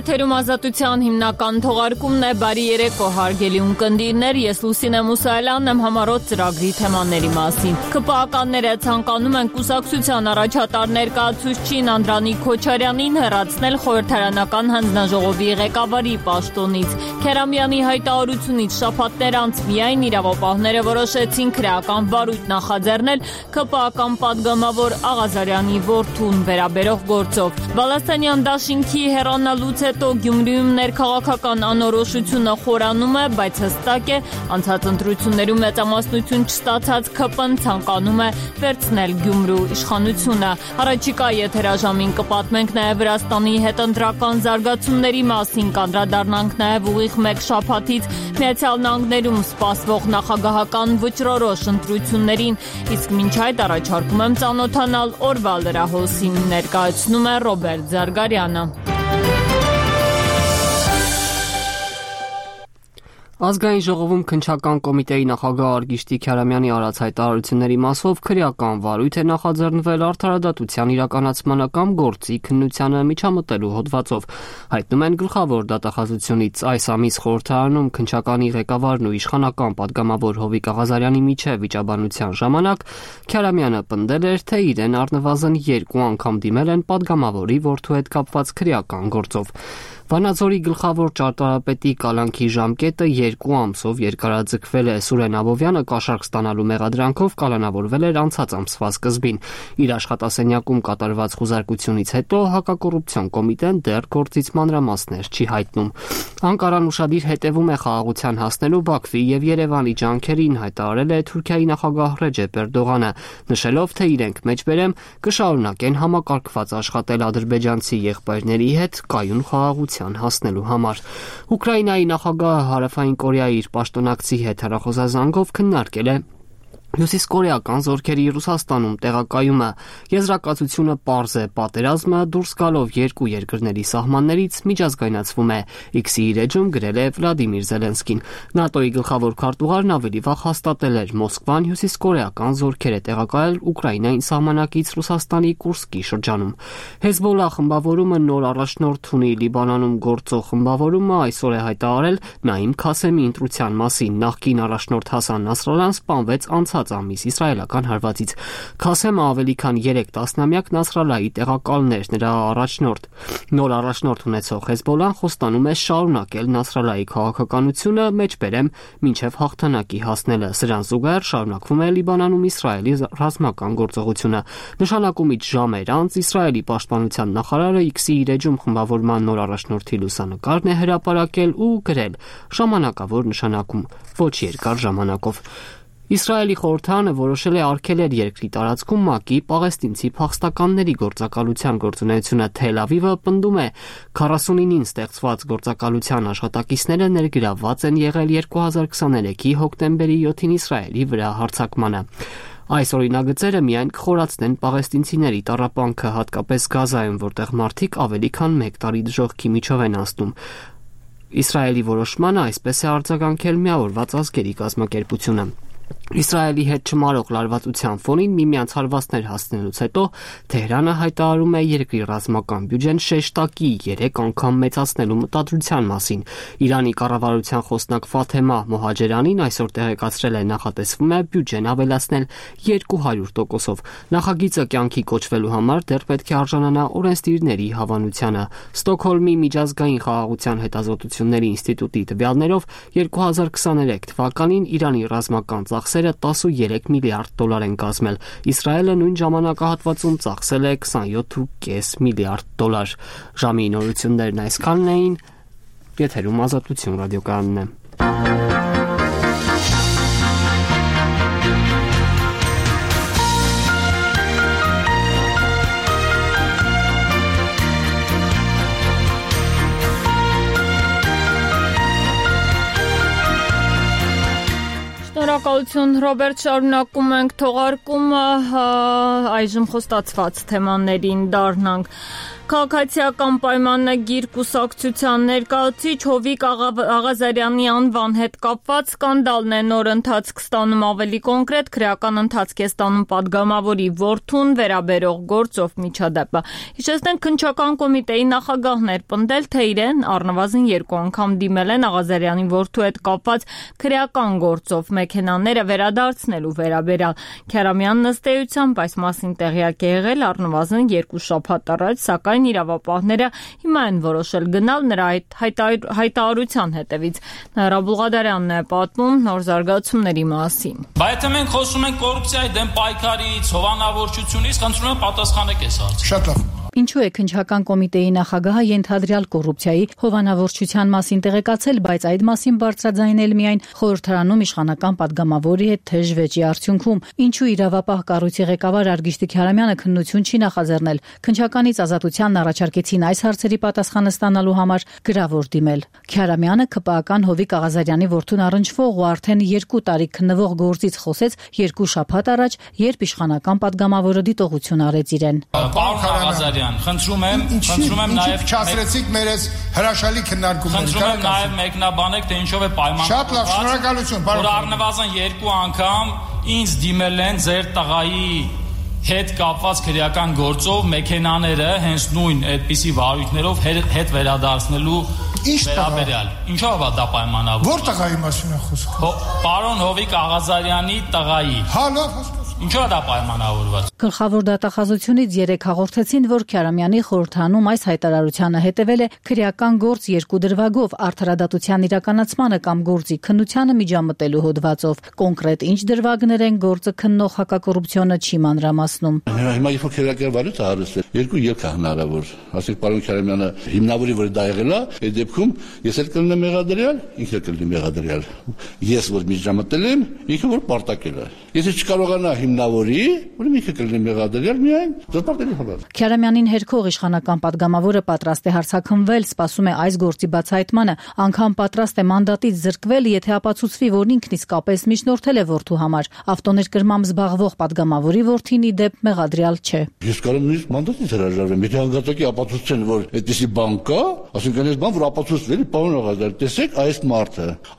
Եթերում ազատության հիմնական թողարկումն է, բարի երեկո հարգելի ունկնդիրներ, ես Լուսինե Մուսայելյանն եմ համառոտ ծրագրի թեմաների մասին։ ԿՊԱ-ականները ցանկանում են կուսակցության առաջատար ներկայացուցչին Անդրանիկ Քոչարյանին հեռացնել խորհրդարանական հանձնաժողովի ղեկավարի պաշտոնից։ Քերամյանի հայտարարությունից շաբաթներ անց միայն իրավապահները որոշեցին քրեական վարույթ նախաձեռնել ԿՊԱ-ական պատգամավոր Աղազարյանի որդուն վերաբերող գործով։ Բալասանյան դաշինքի հեռանալուց հետո Գյումրիում ներքաղաքական անորոշությունը խորանում է, բայց հստակ է, անցած ընտրություններում մեծամասնություն չստացած ՔՊ-ն ցանկանում է վերցնել Գյումրու իշխանությունը։ Առաջիկա եթերաժամին կպատմենք նաև Վրաստանի հետընտրական զարգացումների մասին, կանդրադառնանք նաև ուղիղ մեկ շաբաթից Միացյալ Նահանգներում սպասվող նախագահական վճռորոշ ընտրություններին, իսկ մինչ այդ առաջարկում եմ ծանոթանալ օրվա լրահոսին, ներկայացնում է Ռոբերտ Զարգարյանը։ Ազգային ժողովում քննչական կոմիտեի նախագահ Արգիշտի Քարամյանի արած հայտարարությունների մասով քրեական վարույթ է նախաձեռնվել արդարադատության իրականացմանը կամ գործի քննությանը միջամտելու հոդվածով։ Հայտնում են գլխավոր դատախազությունից այս ամիս խորհրդարանում քննչականի ղեկավարն ու իշխանական պատգամավոր Հովիկ Աղազարյանի միջև վիճաբանության ժամանակ Քարամյանը պնդել էր, թե իրեն առնվազն 2 անգամ դիմել են պատգամավորի որդու հետ կապված քրեական գործով։ Վանաձորի գլխավոր ճարտարապետի կալանքի ժամկետը 2 ամսով երկարաձգվել է։ Սուրեն Աբովյանը կաշառք ստանալու մեղադրանքով կալանավորվել էր անցած ամսվա սկզբին։ Իր աշխատասենյակում կատարված խուզարկությունից հետո հակակոռուպցիոն կոմիտեն դեռ գործից մանրամասներ չի հայտնում։ Անկարան ուշադիր հետևում է խաղաղության հասնելու Բաքվի եւ Երևանի ջանքերին, հայտարարել է Թուրքիայի նախագահ Ռեջեփ Էրդողանը, նշելով, թե իրենք մեջբերեմ կշարունակեն համակարգված աշխատել ադրբեջանցի եղբայրների հետ կայուն խաղաղության հասնելու համար։ Ուկրաինայի նախագահը Հարավային Կորեայի իր պաշտոնակցի հետ հեռախոսազանգով քննարկել է հյուսիսկորեական զորքերի Ռուսաստանում տեղակայումը։ Եզրակացությունը պարզ է, պատերազմը դուրս գալով երկու երկրների սահմաններից միջազգայնացվում է, X-ի իր էջում գրել է Վլադիմիր Զելենսկին։ ՆԱՏՕ-ի գլխավոր քարտուղարն ավելի վաղ հաստատել էր, Մոսկվան հյուսիսկորեական զորքեր է տեղակայել Ուկրաինային սահմանակից Ռուսաստանի Կուրսկի շրջանում։ Հեզբոլլա խմբավորումը նոր առաջնորդ ունի Լիբանանում գործող խմբավորումը այսօր է հայտարարել Նաիմ Քասեմի ընտրության մասին։ Նախկին առաջնորդ Հասան Նասրալլան սպանվեց անցած ամիս իսրայելական հարվածից։ Քասեմը ավելի քան 3 տասնամյակ Նասրալլայի տեղակալն էր, նրա առաջնորդ։ Նոր առաջնորդ ունեցող Հեզբոլլան խոստանում է շարունակել Նասրալլայի քաղաքականությունը, մեջբերեմ մինչև հաղթանակի հասնելը։ Սրան զուգահեռ շարունակվում է Լիբանանում Իսրայելի ռազմական գործողությունը։ Նշանակումից ժամեր անց Իսրայելի պաշտպանության նախարարը X-ի իր էջում խմբավորման նոր առաջնորդի լուսանկարն է հրապարակել ու գրել. ժամանակավոր նշանակում, ոչ երկար ժամանակով։ Իսրայելի խորհրդարանը որոշել է արգելել երկրի տարածքում ՄԱԿ-ի պաղեստինցի փախստականների գործակալության գործունեությունը։ Թել Ավիվը պնդում է 49-ին ստեղծված գործակալության աշխատակիցները ներգրավված են եղել 2023-ի հոկտեմբերի 7-ին Իսրայելի վրա հարձակմանը։ Այս օրինագծերը միայն կխորացնեն պաղեստինցիների տառապանքը, հատկապես Գազայում, որտեղ մարդիկ ավելի քան 1 տարի դժոխքի միջով են անցնում։ Իսրայելի որոշմանը այսպես է արձագանքել Միավորված ազգերի կազմակերպությունը։ Իսրայելի հետ չմարող լարվածության ֆոնին միմյանց հարվածներ հասցնելուց հետո Թեհրանը հայտարարում է երկրի ռազմական բյուջեն շեշտակի 3 անգամ մեծացնելու մտադրության մասին։ Իրանի կառավարության խոսնակ Ֆաթեմա Մոհաջերանին այսօր տեղեկացրել է, նախատեսվում է բյուջեն ավելացնել 200%-ով։ Նախագիծը կյանքի կոչվելու համար դեռ պետք է արժանանա օրենսդիրների հավանությանը։ Ստոկհոլմի միջազգային խաղաղության հետազոտությունների ինստիտուտի տվյալներով 2023 թվականին Իրանի ռազմական ծախսերը 13 միլիարդ դոլար են կազմել։ Իսրայելը նույն ժամանակահատվածում ծախսել է 27.5 միլիարդ դոլար։ Ժամի նորություններն այսքանն էին։ Եթերում Ազատություն ռադիոկայանն է։ Շնորհակալություն Ռոբերտ, շարունակում ենք թողարկումը, այժմ խոստացված թեմաներին դառնանք։ Քաղաքացիական պայմանագիր կուսակցության ներկայացուցիչ Հովիկ Աղազարյանի անվան հետ կապված սկանդալն է նոր ընթացք ստանում, ավելի կոնկրետ քրեական ընթացք է ստանում падգամավորի որդուն վերաբերող գործով միջադեպը։ Հիշեցնենք, քննչական կոմիտեի նախագահն էր պնդել, թե իրեն առնվազն 2 անգամ դիմել են Աղազարյանի որդու հետ կապված քրեական գործով մեքենաները վերադարձնելու վերաբերյալ։ Քյարամյանն ըստ էությամբ այս մասին տեղյակ է եղել առնվազն 2 շաբաթ առաջ, սակայն իրավապահները հիմա են որոշել գնալ նրա հայտարարության հետևից։ Նրա Բուլղադարյանն է պատմում նոր զարգացումների մասին։ Բայց եթե մենք խոսում ենք կոռուպցիայի դեմ պայքարից, հովանավորչությունից, խնդրում եմ պատասխանեք այս հարցին։ Շատ լավ։ Ինչու է քննչական կոմիտեի նախագահը ենթադրյալ կոռուպցիայի հովանավորչության մասին տեղեկացել, բայց այդ մասին բարձրաձայնել միայն խորհրդարանում իշխանական падգամավորի հետ թեժ վեճի արդյունքում։ Ինչու իրավապահ կառույցի ղեկավար Արգիշտիկ Քյարամյանը քննություն չի նախաձեռնել։ Քննչականից ազատությանն առաջարկեցին այս հարցերի պատասխանը ստանալու համար գրավոր դիմել։ Քյարամյանը ԿՊԱ-ական Հովիկ Աղազարյանի որդուն առնչվող ու արդեն 2 տարի քննվող գործից խոսեց 2 շաբաթ առաջ, երբ իշխանական падգամավորը դիտողություն արեց իրեն։ Խնդրում եմ նաև չասրեցիք մեր այս հրաշալի քննարկումները։ Խնդրում եմ նաև մեկնաբանեք, թե ինչով է պայմանավորված։ Շատ լավ, շնորհակալություն, որ առնվազն 2 անգամ ինձ դիմել են ձեր տղայի հետ կապված քրեական գործով մեքենաները հենց նույն այդպիսի վարույթներով հետ վերադարձնելու վերաբերյալ։ Ինչով է դա պայմանավորված։ Որ տղայի մասին է խոսքը։ Պարոն Հովիկ Աղազարյանի տղայի։ Հա, լավ, Ինչու է դա պայմանավորված։ Գլխավոր դատախազությունից 3 հաղորդեցին, որ Քյարամյանի խորհրդանում այս հայտարարությանը հետևել է քրեական գործ 2 դրվագով արդարադատության իրականացմանը կամ գործի քննությանը միջամտելու հոդվածով։ Կոնկրետ ինչ դրվագներ են գործը քննող հակակոռուպցիոնը չի մանրամասնում։ Հիմա երբ քրեական վարույթ է հարստել, 2 ելք է հնարավոր։ Ասենք պարոն Քյարամյանը հիմնավորի որ դա եղել է, այդ դեպքում ես էլ կլինեմ մեղադրյալ, ինքը կլինի մեղադրյալ։ Ես որ միջամտել եմ, ինքը որ պարտակել է։ Եթե չկարողանա հիմնավորի, ուրեմն ինքը կլինի մեղադրյալ միայն դեպարտելի համար։ Քյարամյանին հերքող իշխանական падգամավորը պատրաստ է հարձակվել, սպասում է այս գործի բացահայտմանը, անգամ պատրաստ է մանդատից զրկվել, եթե ապացուցվի, որ ինքն իսկապես միջնորդել է որդու համար։ Ավտոներկրմամբ զբաղվող падգամավորի որդին ի դեպ մեղադրյալ չէ։ Ես կարող եմ նույնիսկ մանդատից հրաժարվեմ, եթե հանգաճակի ապացուցեն, որ այդպիսի բան կա, ասենք այս բան որ ապացուցվել է, պարոն Աղազարյան, տեսեք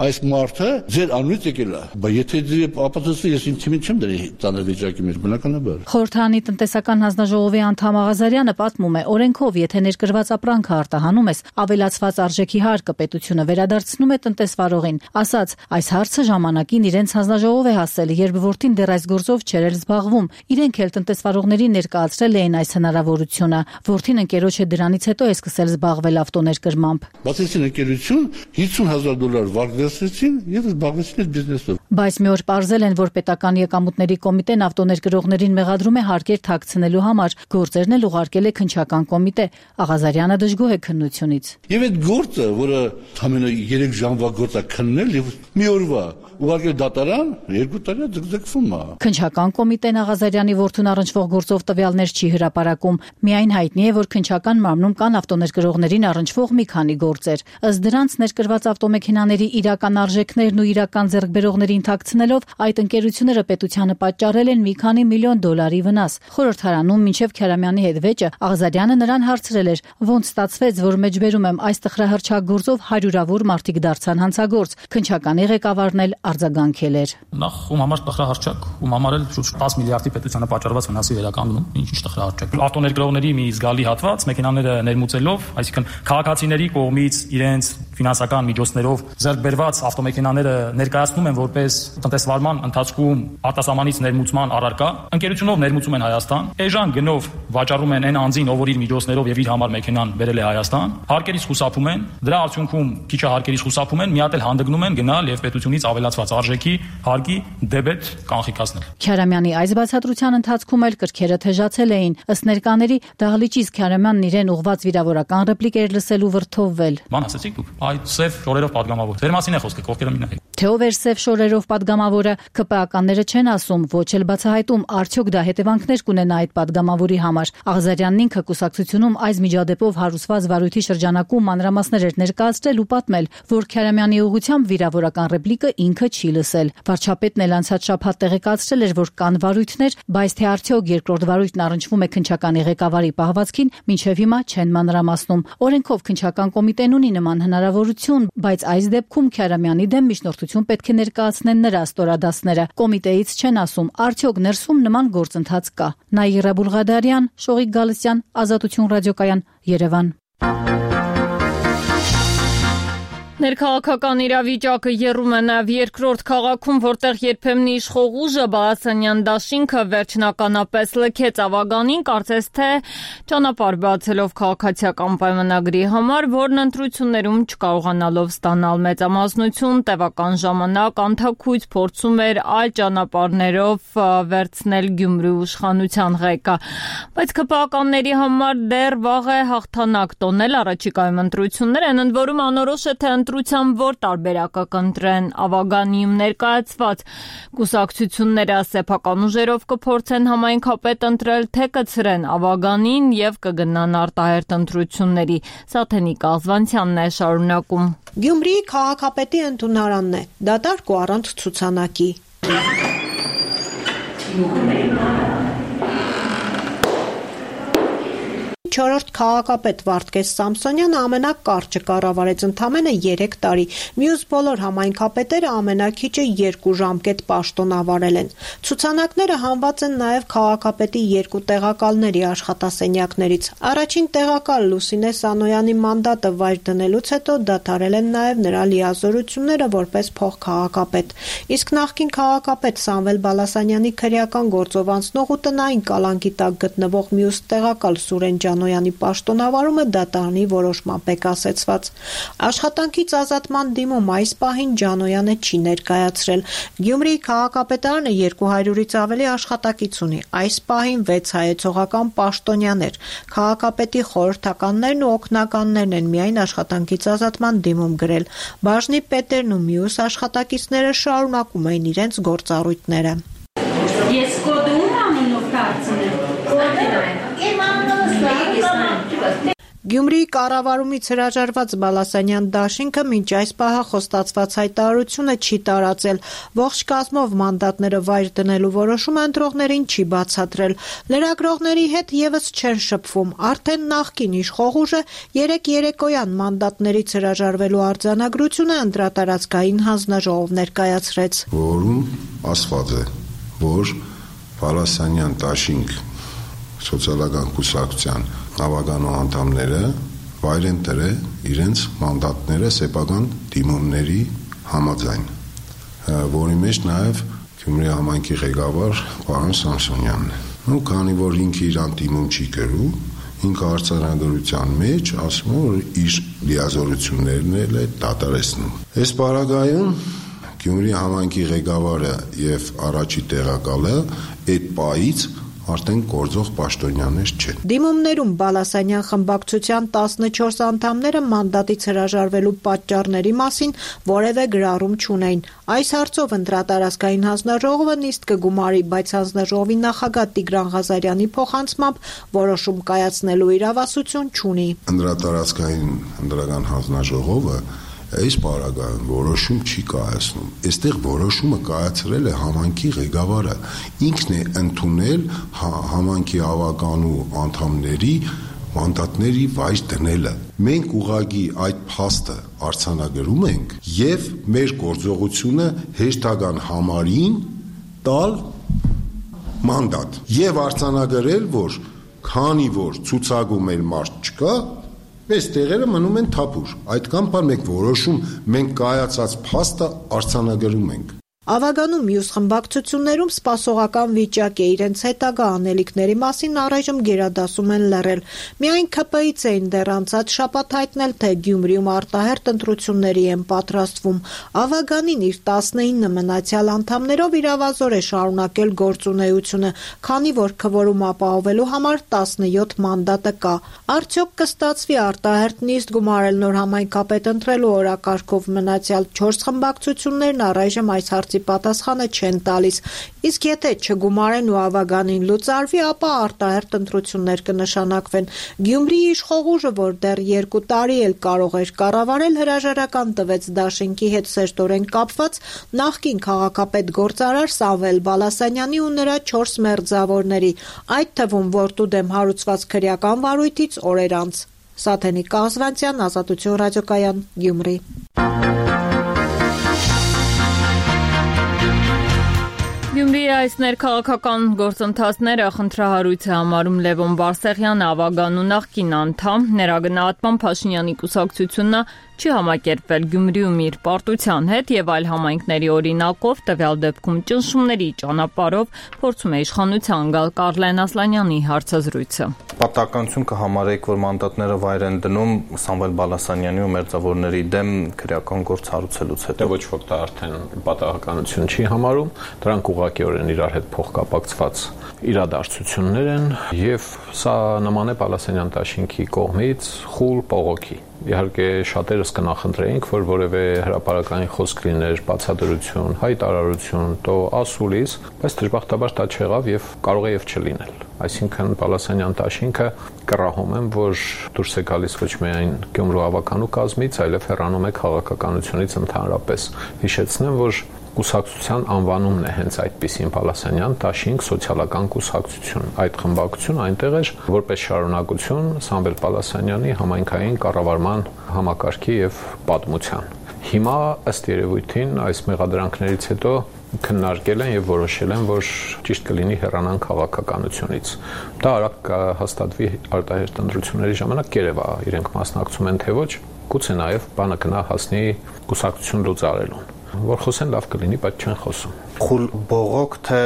այս մարդը ձեր անունից եկել է։ Բայց եթե ապացուցվի, ես ինձ չեմ դրի ծանր վիճակի մեջ, բնականաբար։ Խորհրդարանի տնտեսական հանձնաժողովի անդամ Աղազարյանը պատմում է, օրենքով, եթե ներկրված ապրանքը արտահանում ես, ավելացված արժեքի հարկը պետությունը վերադարձնում է տնտեսվարողին։ Ասաց, այս հարցը ժամանակին իրենց հանձնաժողով է հասել, երբ որդին դեռ այս գործով չէր զբաղվում։ Իրենք էլ տնտեսվարողներին ներկայացրել էին այս հնարավորությունը։ Որդին ընկերոջը դրանից հետո է սկսել զբաղվել ավտոներկրմամբ։ Բացեցին ընկերություն, $50,000 վարկ վերցրեցին եւ զբաղվեցին այդ բիզնեսով։ Բայց մի օր պարզել են, որ պետական եկամուտների կոմիտեն ավտոներկրողներին մեղադրում է հարկեր թաքցնելու համար, գործերն էլ ուղարկել է քննչական կոմիտե։ Աղազարյանը դժգոհ է քննությունից։ Եվ այդ գործը, որը ամենը 3 ժամվա գործ է քննել եւ մի օրվա ուղարկել դատարան, 2 տարի ձգձգվում է։ Քննչական կոմիտեն Աղազարյանի որդուն առնչվող գործով տվյալներ չի հրապարակում։ Միայն հայտնի է, որ քննչական մարմնում կան ավտոներկրողներին առնչվող մի քանի գործեր։ Ըստ դրանց ներկրված ավտոմեքենաների իրական արժեքներն ու իրական ձեռքբերողներին թաքցնելով այդ ընկերությունները պետությանը պատճառել են մի քանի միլիոն $-ի վնաս։ Խորհրդարանում մինչև Քյարամյանի հետ վեճը Աղազարյանը նրան հարցրել էր, ոնց ստացվեց, որ մեջբերում եմ այս տխրահրճակ գործով հարյուրավոր մարդիկ դարձան հանցագործ։ Քննչականի ղեկավարն էլ արձագանքել էր։ Նախ ում համար տխրահարճակ, ում համար էլ շուրջ 10 միլիարդի պետությանը պատճառված վնասի վերականգնում, ինչ տխրահարճակ։ Ավտոներկրողների մի զգալի հատված մեքենաները ներմուծելով, այսինքն քաղաքացիների կողմից իրենց ֆինանսական միջոցներով ձեռք բերված ավտոմեքենաները ներկայացնում են որպես տնտեսվարման ընթացքում արտասահմանից ներմուծման առարկա, ընկերությունով ներմուծում են Հայաստան, էժան գնով վաճառում են այն անձին, ով որ իր միջոցներով եւ իր համար մեքենան բերել է Հայաստան, հարկերից խուսափում են, դրա արդյունքում քիչ հարկերից խուսափում են, մի հատ էլ հանդգնում են գնալ եւ պետությունից ավելացված արժեքի հարկի դեբետ կանխիկացնել։ Քյարամյանի այս բացատրության ընթացքում էլ կրքերը թեժացել էին։ Ըստ ներկաների դահլիճից Քյարամյանն իրեն ուղված վիրավորական ռեպլիկեր լսելու վրթովվել։ Ման ասեցիք դուք, այդ սև շորերով պատգամավոր։ Ձեր մասին է խոսքը, կողքերը մի նայեք։ Թե ով էր սև շորերով падգամավորը, ԿՊԱ-ականները չեն ասում, ոչ էլ բացահայտում, արդյոք դա հետևանքներ կունենա այդ падգամավորի համար։ Աղզարյանն ինքը կուսակցությունում այս միջադեպով հարուսված վարույթի շրջանակում մանրամասներ էր ներկայացրել ու պատմել, որ Քարամյանի ուղղությամբ վիրավորական ռեպլիկը ինքը չի լսել։ Վարչապետն էլ անցած շաբաթ տեղեկացրել էր, որ կան վարույթներ, բայց թե արդյոք երկրորդ վարույթն առնչվում է քննչականի ղեկավարի պահվածքին, մինչև հիմա չեն մանրամասնում։ Օրենքով քննչական կոմիտեն ունի նման հնարավորություն, բայց այս դեպքում Քարամյանի դեմ միջնորդություն պետք է ներկայացնեն նրա ստորադասները։ Կոմիտեից չեն ասում, արդյոք ներսում նման գործընթաց կա։ Նաիրա Բուլղադարյան, Շողիկ Գալստյան, Ազատություն ռադիոկայան, Երևան։ Ներքաղաքական իրավիճակը եռում է նաև երկրորդ քաղաքում, որտեղ երբեմն իշխող ուժը Բալասանյան դաշինքը վերջնականապես լքեց Ավագանին, կարծես թե ճանապարհ բացելով քաղաքացիական պայմանագրի համար, որն ընտրություններում չկարողանալով ստանալ մեծամասնություն, տևական ժամանակ անթաքույց փորձում էր այլ ճանապարհներով վերցնել Գյումրի իշխանության ղեկը։ Բայց ԿՊԱ-ականների համար դեռ վաղ է հաղթանակ տոնել առաջիկայում ընտրություններ են, ընդ որում անորոշ է թե ընտրության որ տարբերակը կընտրեն Ավագանիում ներկայացված կուսակցությունները սեփական ուժերով կփորձեն համայնքապետ ընտրել, թե կցրեն Ավագանին եւ կգնան արտահերթ ընտրությունների։ Սաթենիկ Աղզվանցյանն է շարունակում։ Գյումրիի քաղաքապետի ընդունարանն է, դատարկ ու առանց ցուցանակի։ Չորրորդ քաղաքապետ Վարդգես Սամսոնյանը ամենակարճը կառավարեց ընդամենը 3 տարի։ Մյուս բոլոր համայնքապետերը ամենակիչը 2 ժամկետ պաշտոնավարել են։ Ցուցանակները հանված են նաև քաղաքապետի 2 տեղակալների աշխատասենյակներից։ Առաջին տեղակալ Լուսինե Սանոյանի մանդատը վայր դնելուց հետո դադարել են նաև նրա լիազորությունները որպես փոխքաղաքապետ։ Իսկ նախկին քաղաքապետ Սամվել Բալասանյանի քրեական գործով անցնող ու տնային կալանքի տակ գտնվող մյուս տեղակալ Սուրեն Ջանոյանի պաշտոնավարումը դատարանի որոշմամբ է կասեցված։ Աշխատանքից ազատման դիմում այս պահին Ջանոյանը չի ներկայացրել։ Գյումրիի քաղաքապետարանը 200-ից ավելի աշխատակից ունի։ Այս պահին 6 հայեցողական պաշտոնյաներ։ Քաղաքապետի խորհրդականներն ու օգնականներն են միայն աշխատանքից ազատման դիմում գրել։ Բաժնի պետերն ու մյուս աշխատակիցները շարունակում էին իրենց գործառույթները։ Ես կոդում անունով կարծում Գյումրիի կառավարումից հրաժարված Բալասանյան դաշինքը մինչ այս պահը խոստացված հայտարարությունը չի տարածել։ Ողջ կազմով մանդատները վայր դնելու որոշումը ընտրողներին չի բացատրել։ Լրագրողների հետ եւս չեն շփվում։ Արդեն նախկին իշխող ուժը 3 երեկոյան մանդատներից հրաժարվելու արձանագրությունը ընտրատարածքային հանձնաժողով ներկայացրեց։ Որում ասված է, որ Բալասանյան դաշինք սոցիալական կուսակցության Ավագանու անդամները վայր են տրել իրենց մանդատները սեփական դիմումների համաձայն, որի մեջ նաև Գյումրի համայնքի ղեկավար պարոն Սամսոնյանն է։ Ու քանի որ ինքը իրան դիմում չի գրում, ինքը արձանագրության մեջ ասում է, որ իր լիազորություններն էլ է դատարեցնում։ Այս պարագայում Գյումրի համայնքի ղեկավարը եւ առաջի տեղակալը այդ պայից արդեն գործող պաշտոնյաներ չեն։ Դիմումներում Բալասանյան խմբակցության 14 անդամները մանդատից հրաժարվելու պատճառների մասին որևէ գրառում չունեին։ Այս հարցով ընտրատարածքային հանձնաժողովը նիստ կգումարի, բայց հանձնաժողովի նախագահ Տիգրան Ղազարյանի փոխանցմամբ որոշում կայացնելու իրավասություն չունի։ Ընտրատարածքային ընտրական հանձնաժողովը այս պարագայում որոշում չի կայացնում։ Այստեղ որոշումը կայացրել է համայնքի ղեկավարը։ Ինքն է ընդունել համայնքի ավականու անդամների մանդատների վայր դնելը։ Մենք ուղղակի այդ փաստը արձանագրում ենք եւ մեր գործողությունը հեշտական համարին տալ մանդատ եւ արձանագրել, որ քանի որ ցուցակում էլ մարդ չկա, այս տեղերը մնում են թափուր։ Այդքան բան մենք որոշում, մենք կայացած փաստը արձանագրում ենք։ Ավագանում մյուս խմբակցություններում սպասողական վիճակ է, իրենց հետագա անելիքների մասին առայժմ գերադասում են լռել։ Միայն ՔՊ-ից էին դեռ անցած շաբաթ հայտնել, թե Գյումրիում արտահերթ ընտրությունների են պատրաստվում։ Ավագանին իր 19 մնացյալ անդամներով իրավազոր է շարունակել գործունեությունը, քանի որ քվորում ապահովելու համար 17 մանդատը կա։ Արդյոք կստացվի արտահերթ նիստ գումարել նոր համայնքապետ ընտրելու օրակարգով մնացյալ 4 խմբակցություններն առայժմ այս հարցի պատասխանը չեն տալիս, իսկ եթե չգումարեն ու ավագանին լուծարվի, ապա արտահերթ ընտրություններ կնշանակվեն։ Գյումրիի իշխող ուժը, որ դեռ 2 տարի էլ կարող էր կառավարել, հրաժարական տվեց դաշինքի հետ սերտորեն կապված նախկին քաղաքապետ գործարար Սամվել Բալասանյանի ու նրա 4 մերձավորների, այդ թվում որդու դեմ հարուցված քրեական վարույթից օրեր անց։ Սաթենիկ Կազվանցյան, Ազատություն ռադիոկայան, Գյումրի։ Գյումրիի այս ներքաղաքական գործընթացները խնդրահարույց է համարում Լևոն Բարսեղյանը, ավագանու նախկին անդամ, ներագնահատման Փաշինյանի կուսակցությունը չի համակերպվել Գյումրիում իր պարտության հետ եւ այլ համայնքների օրինակով, տվյալ դեպքում ճնշումների ճանապարհով փորձում է իշխանության գալ Կարլեն Ասլանյանի հարցազրույցը։ Պատահականություն կհամարեիք, որ մանդատները վայր են դնում Սամվել Բալասանյանի ու մերձավորների դեմ քրեական գործ հարուցելուց հետո։ Ոչ ոք դա արդեն պատահականություն չի համարում, դրանք ուղղակիորեն իրար հետ փոխկապակցված իրադարձություններ են եւ սա նման է Բալասանյան դաշինքի կողմից խուլ բողոքի։ Իհարկե շատերս կնախընտրեինք, որ որևէ հրապարակային խոսք լիներ, բացատրություն, հայտարարություն, տո ասուլիս, բայց դժբախտաբար դա չեղավ եւ կարող է եւ չլինել։ Այսինքն Բալասանյան դաշինքը կռահում եմ, որ դուրս է գալիս ոչ միայն Գյումրու ավականու կազմից, այլև հեռանում է քաղաքականությունից ընդհանրապես։ Հիշեցնեմ, որ կուսակցության անվանումն է հենց այդպիսին Բալասանյան դաշինք սոցիալական կուսակցություն։ Այդ խմբակցությունը այնտեղ էր որպես շարունակություն Սամվել Բալասանյանի համայնքային կառավարման համակարգի եւ պատմության։ Հիմա ըստ երևույթին այս մեղադրանքներից հետո քննարկել են եւ որոշել են, որ ճիշտ կլինի հեռանան քաղաքականությունից։ Դա արագ կհաստատվի արտահերթ ընտրությունների ժամանակ, կերևա իրենք մասնակցում են թե ոչ, գուցե նաեւ բանը գնա հասնի կուսակցություն լուծարելուն։ Որ խոսեն լավ կլինի, բայց չեն խոսում։ Խուլ բողոք թե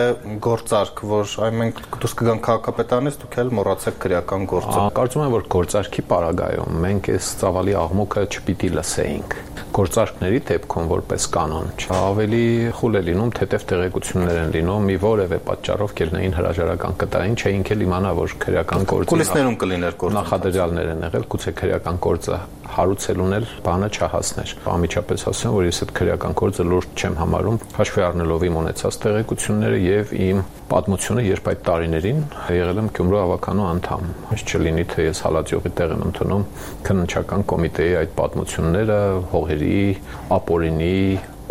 գործարք, որ այ մենք դուրս կգանք քաղաքապետանից, դուք էլ մոռացեք քրեական գործը։ Կարծում եմ, որ գործարքի պարագայում մենք այս ծավալի աղմուկը չպիտի լսեինք։ Գործարքների դեպքում որպես կանոն ավելի խուլ է լինում, թեթև տեղեկություններ են լինում, մի որևէ պատճառով կելնեին հրաժարական կտային, չէինք էլ իմանա, որ քրեական գործը կուլիսներում կլիներ գործը։ Նախադրյալներ են եղել, գուցե քրեական գործը հարուցելուն էլ բանը չհասներ։ Անմիջապես ասեմ, որ ես այդ քրեական գործը լուրջ չեմ համարում, հաշվի առնելով իմ ունեցած տեղեկությունները եւ իմ պատմությունը, երբ այդ տարիներին եղել եմ Գյումրու ավականու անդամ։ Հաշ չլինի, թե ես հալածյողի տեղ եմ ընդունում քննչական կոմիտեի այդ պատմությունները հողերի, ապօրինի,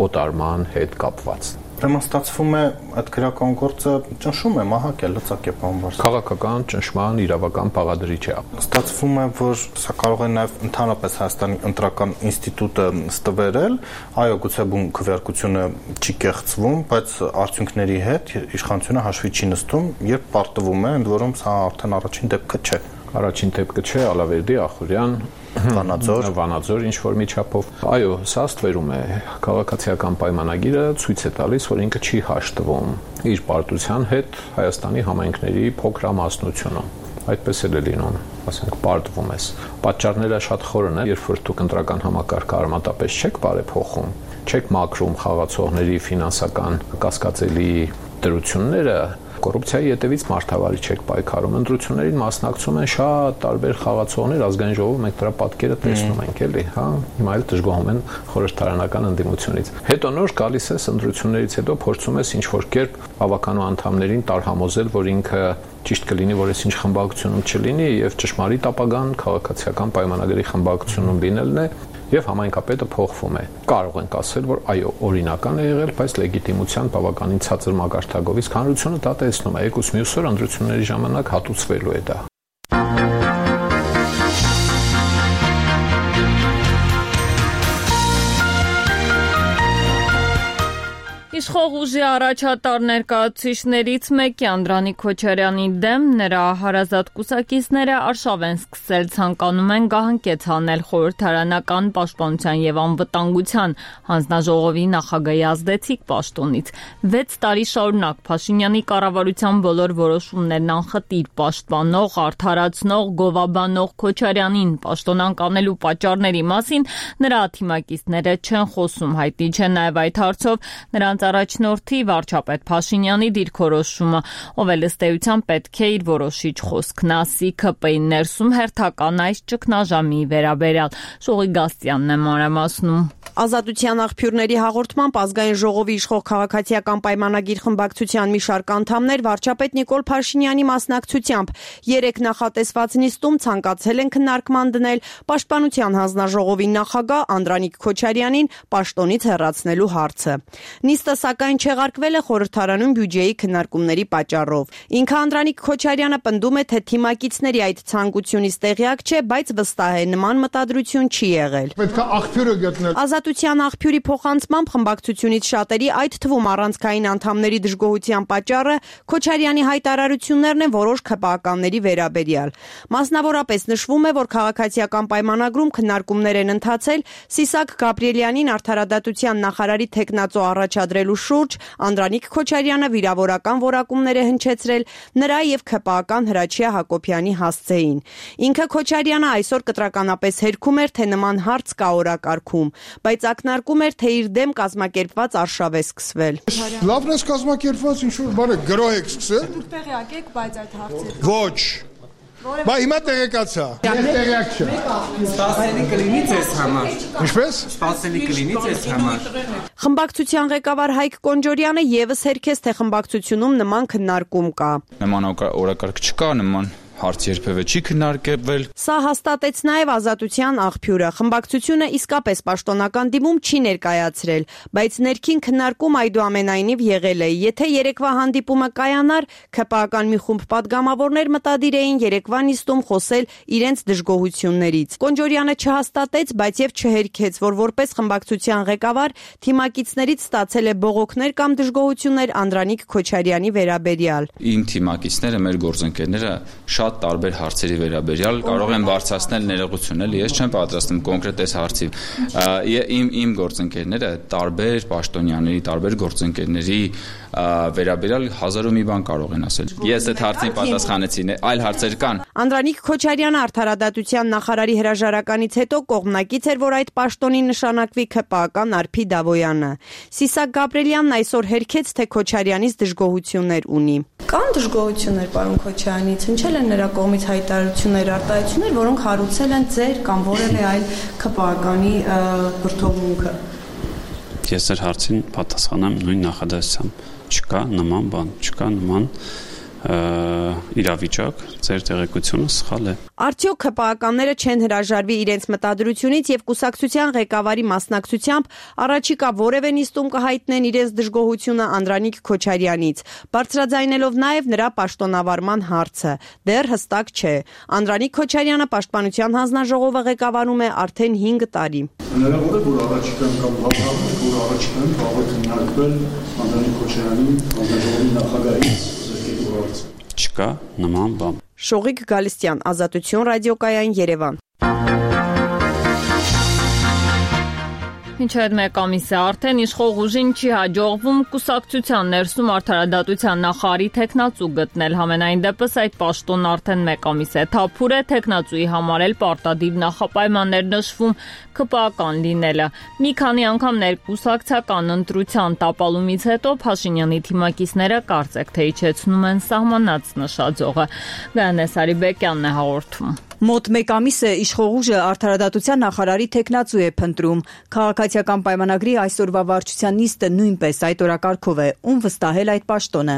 օտարման հետ կապված։ Ուրեմն ստացվում է այդ քրեական գործը ճնշում է, մահակ է, լծակ է բանվար։ Քաղաքական ճնշման իրավական բաղադրիչ է։ Ստացվում է, որ սա կարող է նաև ընդհանրապես Հայաստանի ընտրական ինստիտուտը ստվերել, այո, գուցե բուն քվեարկությունը չի կեղծվում, բայց արդյունքների հետ իշխանությունը հաշվի չի նստում, երբ պարտվում է, ընդ որում սա արդեն առաջին դեպքը չէ։ Առաջին դեպքը չէ, Ալավերդի, Ախուրյան, Վանաձոր ինչ որ միջափով։ Այո, սա ստվերում է քաղաքացիական պայմանագիրը ցույց է տալիս, որ ինքը չի հաշտվում իր պարտության հետ Հայաստանի համայնքների փոքրամասնությունում։ Այդպես էլ է լինում, ասենք, պարտվում ես։ Պատճառները շատ խորն են, երբ որ դուք ընտրական համակարգը արմատապես չեք բարեփոխում, չեք մաքրում խաղացողների ֆինանսական կասկածելի դրությունները, կոռուպցիայի հետևից մարդավարի չեք պայքարում։ Ընտրություններին մասնակցում են շատ տարբեր խաղացողներ, ազգային ժողովում մենք դրա պատկերը տեսնում ենք, էլի, հա, հիմա էլ դժգոհում են խորհրդարանական ընդդիմությունից։ Հետո նոր գալիս ես ընտրություններից հետո փորձում ես ինչ-որ կերպ ավականու անդամներին տարհամոզել, որ ինքը ճիշտ կլինի, որ այսինչ խմբակցությունում չլինի եւ ճշմարիտ ապագան քաղաքացիական պայմանագրի խմբակցությունում լինելն է եւ համայնքապետը փոխվում է։ Կարող ենք ասել, որ այո, օրինական է եղել, բայց լեգիտիմության բավականին ցածր մակարդակով, իսկ հանրությունը դա տեսնում է, եկուս մյուս օր ընտրությունների ժամանակ հատուցվելու է դա։ Իշխող ուժի առաջատար ներկայացուցիչներից մեկի Անդրանիկ Քոչարյանի դեմ նրա հարազատ կուսակիցները արշավ են սկսել, ցանկանում են գահընկեց հանել խորհրդարանական պաշտպանության եւ անվտանգության հանձնաժողովի նախագահի ազդեցիկ պաշտոնից։ 6 տարի շարունակ Փաշինյանի կառավարության բոլոր որոշումներն անխտիր պաշտպանող, արդարացնող, գովաբանող Քոչարյանին պաշտոնանկ անելու պատճառների մասին նրա թիմակիցները չեն խոսում, հայտնի չէ նաեւ այդ հարցով նրանց առաջնորդի վարչապետ Փաշինյանի դիրքորոշումը, ով էլ ըստ էության պետք է իր որոշիչ խոսքն ասի ՔՊ-ի ներսում հերթական այս ճգնաժամի վերաբերյալ։ Շողի Գաստյանն է մանրամասնում։ Ազատության աղբյուրների հաղորդմամբ ազգային ժողովի իշխող քաղաքացիական պայմանագիր խմբակցության մի շարք անդամներ վարչապետ Նիկոլ Փաշինյանի մասնակցությամբ 3 նախատեսված նիստում ցանկացել են քննարկման դնել Պաշտպանության հանձնաժողովի նախագահ Անդրանիկ Քոչարյանին պաշտոնից հեռացնելու հարցը։ Նիստը սակայն չեղարկվել է խորհրդարանում բյուջեի քննարկումների պատճառով։ Ինքը Անդրանիկ Քոչարյանը պնդում է, թե թիմակիցների այդ ցանկությունից տեղյակ չէ, բայց վստահ է նման մտադրություն չի եղել։ Պետք է աղբյուրը գտնել։ Ազատության աղբյուրի փոխանցմամբ խմբակցությունից շատերի, այդ թվում առանցքային անդամների դժգոհության պատճառը Քոչարյանի հայտարարություններն են որոշ ՔՊԱ-կանների վերաբերյալ։ Մասնավորապես նշվում է, որ քաղաքացիական պայմանագրում քննարկումներ են ընթացել Սիսակ Գաբրիելյանին արդարադատության նախարարի թեկնածո առաջադրելու շուրջ, Անդրանիկ Քոչարյանը վիրավորական որակումներ է հնչեցրել նրա եւ ՔՊԱ-կան Հրաչյա Հակոբյանի հասցեին։ Ինքը Քոչարյանը այսօր կտրականապես հերքում էր, թե նման հարց կա օրակարգում, բայց ակնարկում էր, թե իր դեմ կազմակերպված արշավ է սկսվել։ Լավն է կազմակերպված, ինչ որ բառը գրոհ եք սկսել։ Դուք տեղյակ եք, բայց այդ հարցերը։ Ոչ։ Բա հիմա տեղեկացա։ Ես տեղյակ չեմ։ Սպասելի կլինի ձեզ համար։ Ինչպես։ Սպասելի կլինի ձեզ համար։ Խմբակցության ղեկավար Հայկ Կոնջորյանը եւս հերքեց, թե խմբակցությունում նման քննարկում կա։ Նման օրակարգ չկա, նման հարց երբևէ չի քննարկվել։ Սա հաստատեց նաև Ազատության աղբյուրը։ Խմբակցությունը իսկապես պաշտոնական դիմում չի ներկայացրել, բայց ներքին քննարկում այդուամենայնիվ եղել է։ Եթե երեկվա հանդիպումը կայանար, ՔՊԱ-կան մի խումբ պատգամավորներ մտադիր էին երեկվա նիստում խոսել իրենց դժգոհություններից։ Կոնջորյանը չհաստատեց, բայց եւ չհերքեց, որ որպես խմբակցության ղեկավար թիմակիցներից ստացել է բողոքներ կամ դժգոհություններ Անդրանիկ Քոչարյանի վերաբերյալ։ Իմ թիմակիցները, մեր գործընկերները շատ տարբեր հարցերի վերաբերյալ կարող են բարձրացնել ներողություններ, ես չեմ պատրաստում կոնկրետ այս հարցի։ Իմ գործընկերները տարբեր պաշտոնյաների, տարբեր գործընկերների վերաբերյալ 1001 բան կարող են ասել։ Ես այդ հարցին պատասխանեցի, այլ հարցեր կան։ Անդրանիկ Քոչարյանը արդարադատության նախարարի հրաժարականից հետո կողմնակից էր, որ այդ պաշտոնին նշանակվի ՔՊԱ-կան Արփի Դավոյանը։ Սիսակ Գաբրիելյանն այսօր հերքեց, թե Քոչարյանից դժգոհություններ ունի։ Կան դժգոհություններ պարոն Քոչարյանից, հնչել են նրա կողմից հայտարարություններ, արտահայտություններ, որոնք հարուցել են ձեր կամ որևէ այլ ՔՊԱ-կանի վրդովմունքը։ Ես ձեր հարցին պատասխանեմ նույն նախադասությամբ։ Չկա նման բան, չկա նման իրավիճակ, ձեր տեղեկությունը սխալ է։ Արդյոք ՔՊԱ-կանները չեն հրաժարվի իրենց մտադրությունից եւ կուսակցության ղեկավարի մասնակցությամբ առաջիկա որևէ նիստում կհայտնեն իրենց դժգոհությունը Անդրանիկ Քոչարյանից, բարձրաձայնելով նաեւ նրա պաշտոնավարման հարցը։ Դեռ հստակ չէ։ Անդրանիկ Քոչարյանը Պաշտպանության հանձնաժողովը ղեկավարում է արդեն 5 տարի։ Հնարավոր է, որ առաջիկան կամ հավաքական, որ առաջիկան կարող է քննարկվել Անդրանիկ Քոչարյանի հանձնաժողովի նախագահի Չկա նման բան։ Շողիկ Գալստյան, Ազատություն ռադիոկայան, Երևան։ Մինչ այդ մեկ ամիս է արդեն իշխող ուժին չի հաջողվում կուսակցության ներսում արդարադատության նախարարի թեկնածու գտնել։ Համենայն դեպս այդ պաշտոնն արդեն մեկ ամիս է թափուր է, թեկնածուի համար էլ պարտադիր նախապայմաններ նշվում ՔՊԱ-կան լինելը։ Մի քանի անգամ ներկուսակցական ընտրության տապալումից հետո Փաշինյանի թիմակիցները կարծեք թե իջեցնում են սահմանած նշաձողը։ Գայանե Սարիբեկյանն է հաղորդում։ Մոտ մեկ ամիս է իշխող ուժը արդարադատության նախարարի թեկնածու է փնտրում։ Քաղաքացիական պայմանագրի այսօրվա վարչության նիստը նույնպես այդ օրակարգով է, ում վստահել այդ պաշտոնը։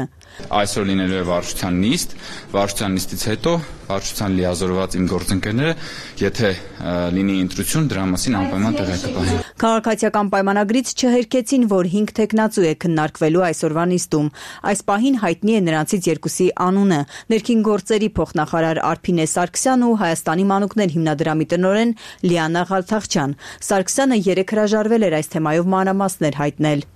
Այսօր լինելու է վարչության նիստ, վարչության նիստից հետո վարչության լիազորված իմ գործընկերները, եթե լինի ընտրություն, դրա մասին անպայման տեղյակ կտանեն։ Քաղաքացիական պայմանագրից չհերքեցին, որ 5 թեկնածու է քննարկվելու այսօրվա նիստում։ Այս պահին հայտնի է նրանցից երկուսի անունը՝ ներքին գործերի փոխնախարար Արփինե Սարգսյանն ու Հայաստանի մանուկներ հիմնադրամի տնօրեն Լիանա Ղալթախչյան։ Սարգսյանը երեկ հրաժարվել էր այս թեմայով մանրամասներ հայտնել։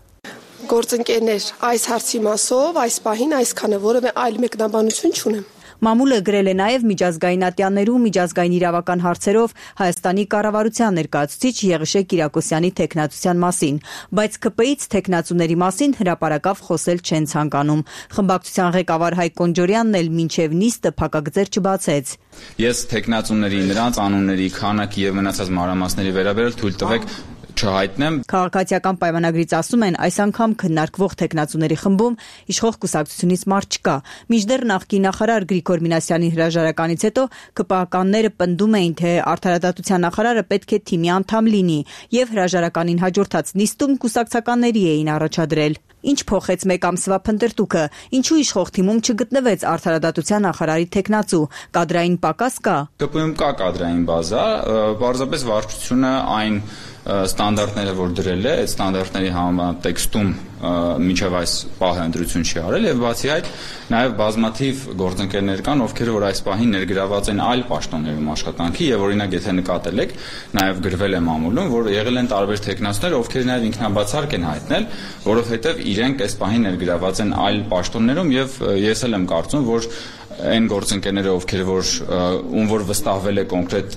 գործընկերներ այս հարցի մասով այս պահին այսքանը որևէ այլ մեկնաբանություն չունեմ։ Մամուլը գրել է նաև միջազգային ատյաններու միջազգային իրավական հարցերով Հայաստանի կառավարության ներկայացուցիչ Եղիշե Կիրակոսյանի թեկնածության մասին, բայց ԿՊ-ից թեկնածուների մասին հրապարակավ խոսել չեն ցանկանում։ Խմբակցության ղեկավար Հայկ Կոնջորյանն էլ մինչև նիստը փակագծեր չբացեց։ Ես թեկնածուների, նրանց անունների, քանակի եւ մնացած մանրամասների վերաբերյալ թույլ տվեք չհայտնեմ։ Քաղաքացիական պայմանագրից ասում են, այս անգամ քննարկվող թեկնածուների խմբում իշխող կուսակցությունից մարդ չկա։ Մինչդեռ նախկին նախարար Գրիգոր Մինասյանի հրաժարականից հետո ԿՊԱ-կանները պնդում էին, թե արդարադատության նախարարը պետք է թիմի անդամ լինի, եւ հրաժարականին հաջորդած նիստում կուսակցականների էին առաջադրել։ Ինչ փոխեց մեկ ամսվա փնտրտուքը, ինչու իշխող թիմում չգտնվեց արդարադատության նախարարի թեկնածու, կադրային պակաս կա։ ԿՊ-ում կա կադրային բազա, պարզապես վարչությունը այն ստանդարտները, որ դրել է, այդ ստանդարտների համատեքստում մինչև այս պահը ընտրություն չի արել եւ բացի այդ նաեւ բազմաթիվ գործընկերներ կան, ովքեր որ այս պահին ներգրաված են այլ պաշտոններում աշխատանքի եւ օրինակ եթե նկատել եք, նաեւ գրվել է մամուլում, որ եղել են տարբեր թեկնածուներ, ովքեր նաեւ ինքնաբացարկ են հայտնել, որովհետեւ իրենք այս պահին ներգրաված են այլ պաշտոններում եւ ես էլ եմ կարծում, որ այն գործընկերները, ովքեր որ վստահվել է կոնկրետ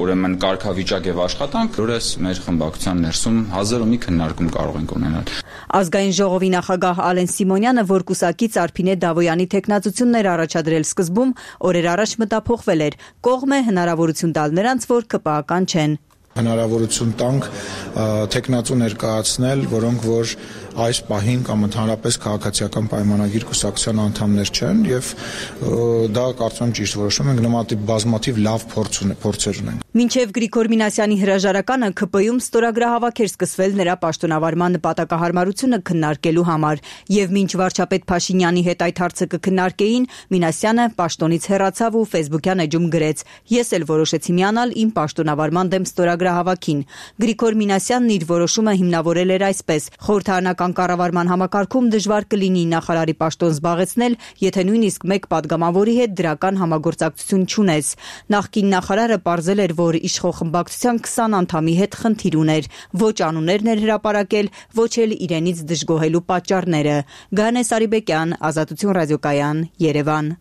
ուրեմն կարգավիճակ եւ աշխատանք, որս մեր խմբակցության ներսում հազար ու մի քննարկում կարող ենք ունենալ։ Ազգային ժողովի նախագահ Ալեն Սիմոնյանը, որ կուսակից Արփինե Դավոյանի թեկնածություններ առաջադրել սկզբում, օրեր առաջ մտափոխվել էր, կողմ է հնարավորություն տալ նրանց, որ ԿՊԱ-ական չեն։ Հնարավորություն տանք թեկնածու ներկայացնել, որոնք որ այս պահին կամ ընդհանրապես քաղաքացիական պայմանագիր կուսակցության անդամներ չեն եւ դա կարծում եմ ճիշտ որոշում ենք, նմանատիպ բազմաթիվ լավ փորձեր ունենք։ Մինչև Գրիգոր Մինասյանի հրաժարականը ԿՊ-ում ստորագրահավաք էր սկսվել նրա պաշտոնավարման նպատակահարմարությունը քննարկելու համար եւ մինչ վարչապետ Փաշինյանի հետ այդ հարցը կքննարկեին, Մինասյանը պաշտոնից հեռացավ ու Facebook-յան էջում գրեց. «Ես էլ որոշեցի միանալ իմ պաշտոնավարման դեմ ստորագրահավաքին»։ Գրիգոր Մինասյանն իր որոշումը հիմնավորել էր այսպես. խորհրդարանական կառավարման համակարգում դժվար կլինի նախարարի պաշտոն զբաղեցնել, եթե նույնիսկ մեկ падգամավորի հետ դրական համագործակցություն չունես։ Նախկին նախարարը պարզել էր, որ իշխող խմբակցության 20 անդամի հետ խնդիր ուներ, ոչ անուններն էր հրապարակել, ոչ էլ իրենից դժգոհելու պատճառները։ Գայանե Սարիբեկյան, Ազատություն ռադիոկայան, Երևան։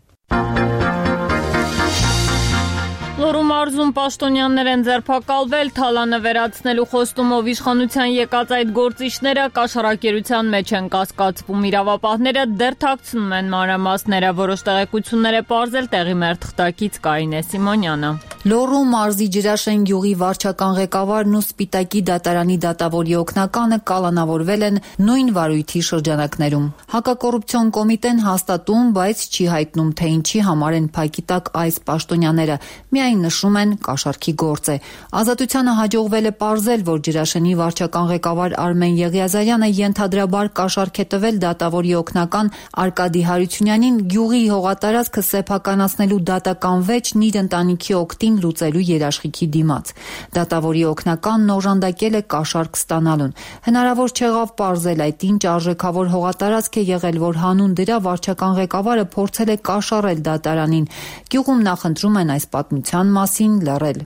Լոռու մարզում պաշտոնյաներ են ձերբակալվել, թալանը վերացնելու խոստումով իշխանության եկած այդ գործիչները կաշառակերության մեջ են կասկածվում, իրավապահները դեռ թաքցնում են մանրամասները, որոշ տեղեկություններ է պարզել տեղի մեր թղթակից Կարինե Սիմոնյանը։ Լոռու մարզի Ջրաշեն գյուղի վարչական ղեկավարն ու Սպիտակի դատարանի դատավորի օգնականը կալանավորվել են նույն վարույթի շրջանակներում։ Հակակոռուպցիոն կոմիտեն հաստատում, բայց չի հայտնում, թե ինչի համար են փակի տակ այս պաշտոնյաները, միայն նշում են կաշառքի գործ է։ Ազատությանը հաջողվել է պարզել, որ Ջրաշենի վարչական ղեկավար Արմեն Եղիազարյանը ենթադրաբար կաշառք է տվել դատավորի օգնական Արկադի Հարությունյանին գյուղի հողատարածքը սեփականացնելու դատական վեճն իր ընտանիքի օգտին լուծելու երաշխիքի դիմաց։ Դատավորի օգնականն օժանդակել է կաշառք ստանալուն։ Հնարավոր չեղավ պարզել այդ ինչ արժեքավոր հողատարածք է եղել, որ հանուն դրա վարչական ղեկավարը փորձել է կաշառել դատարանին։ Գյուղում նախընտրում են այս պատմության մասին լռել։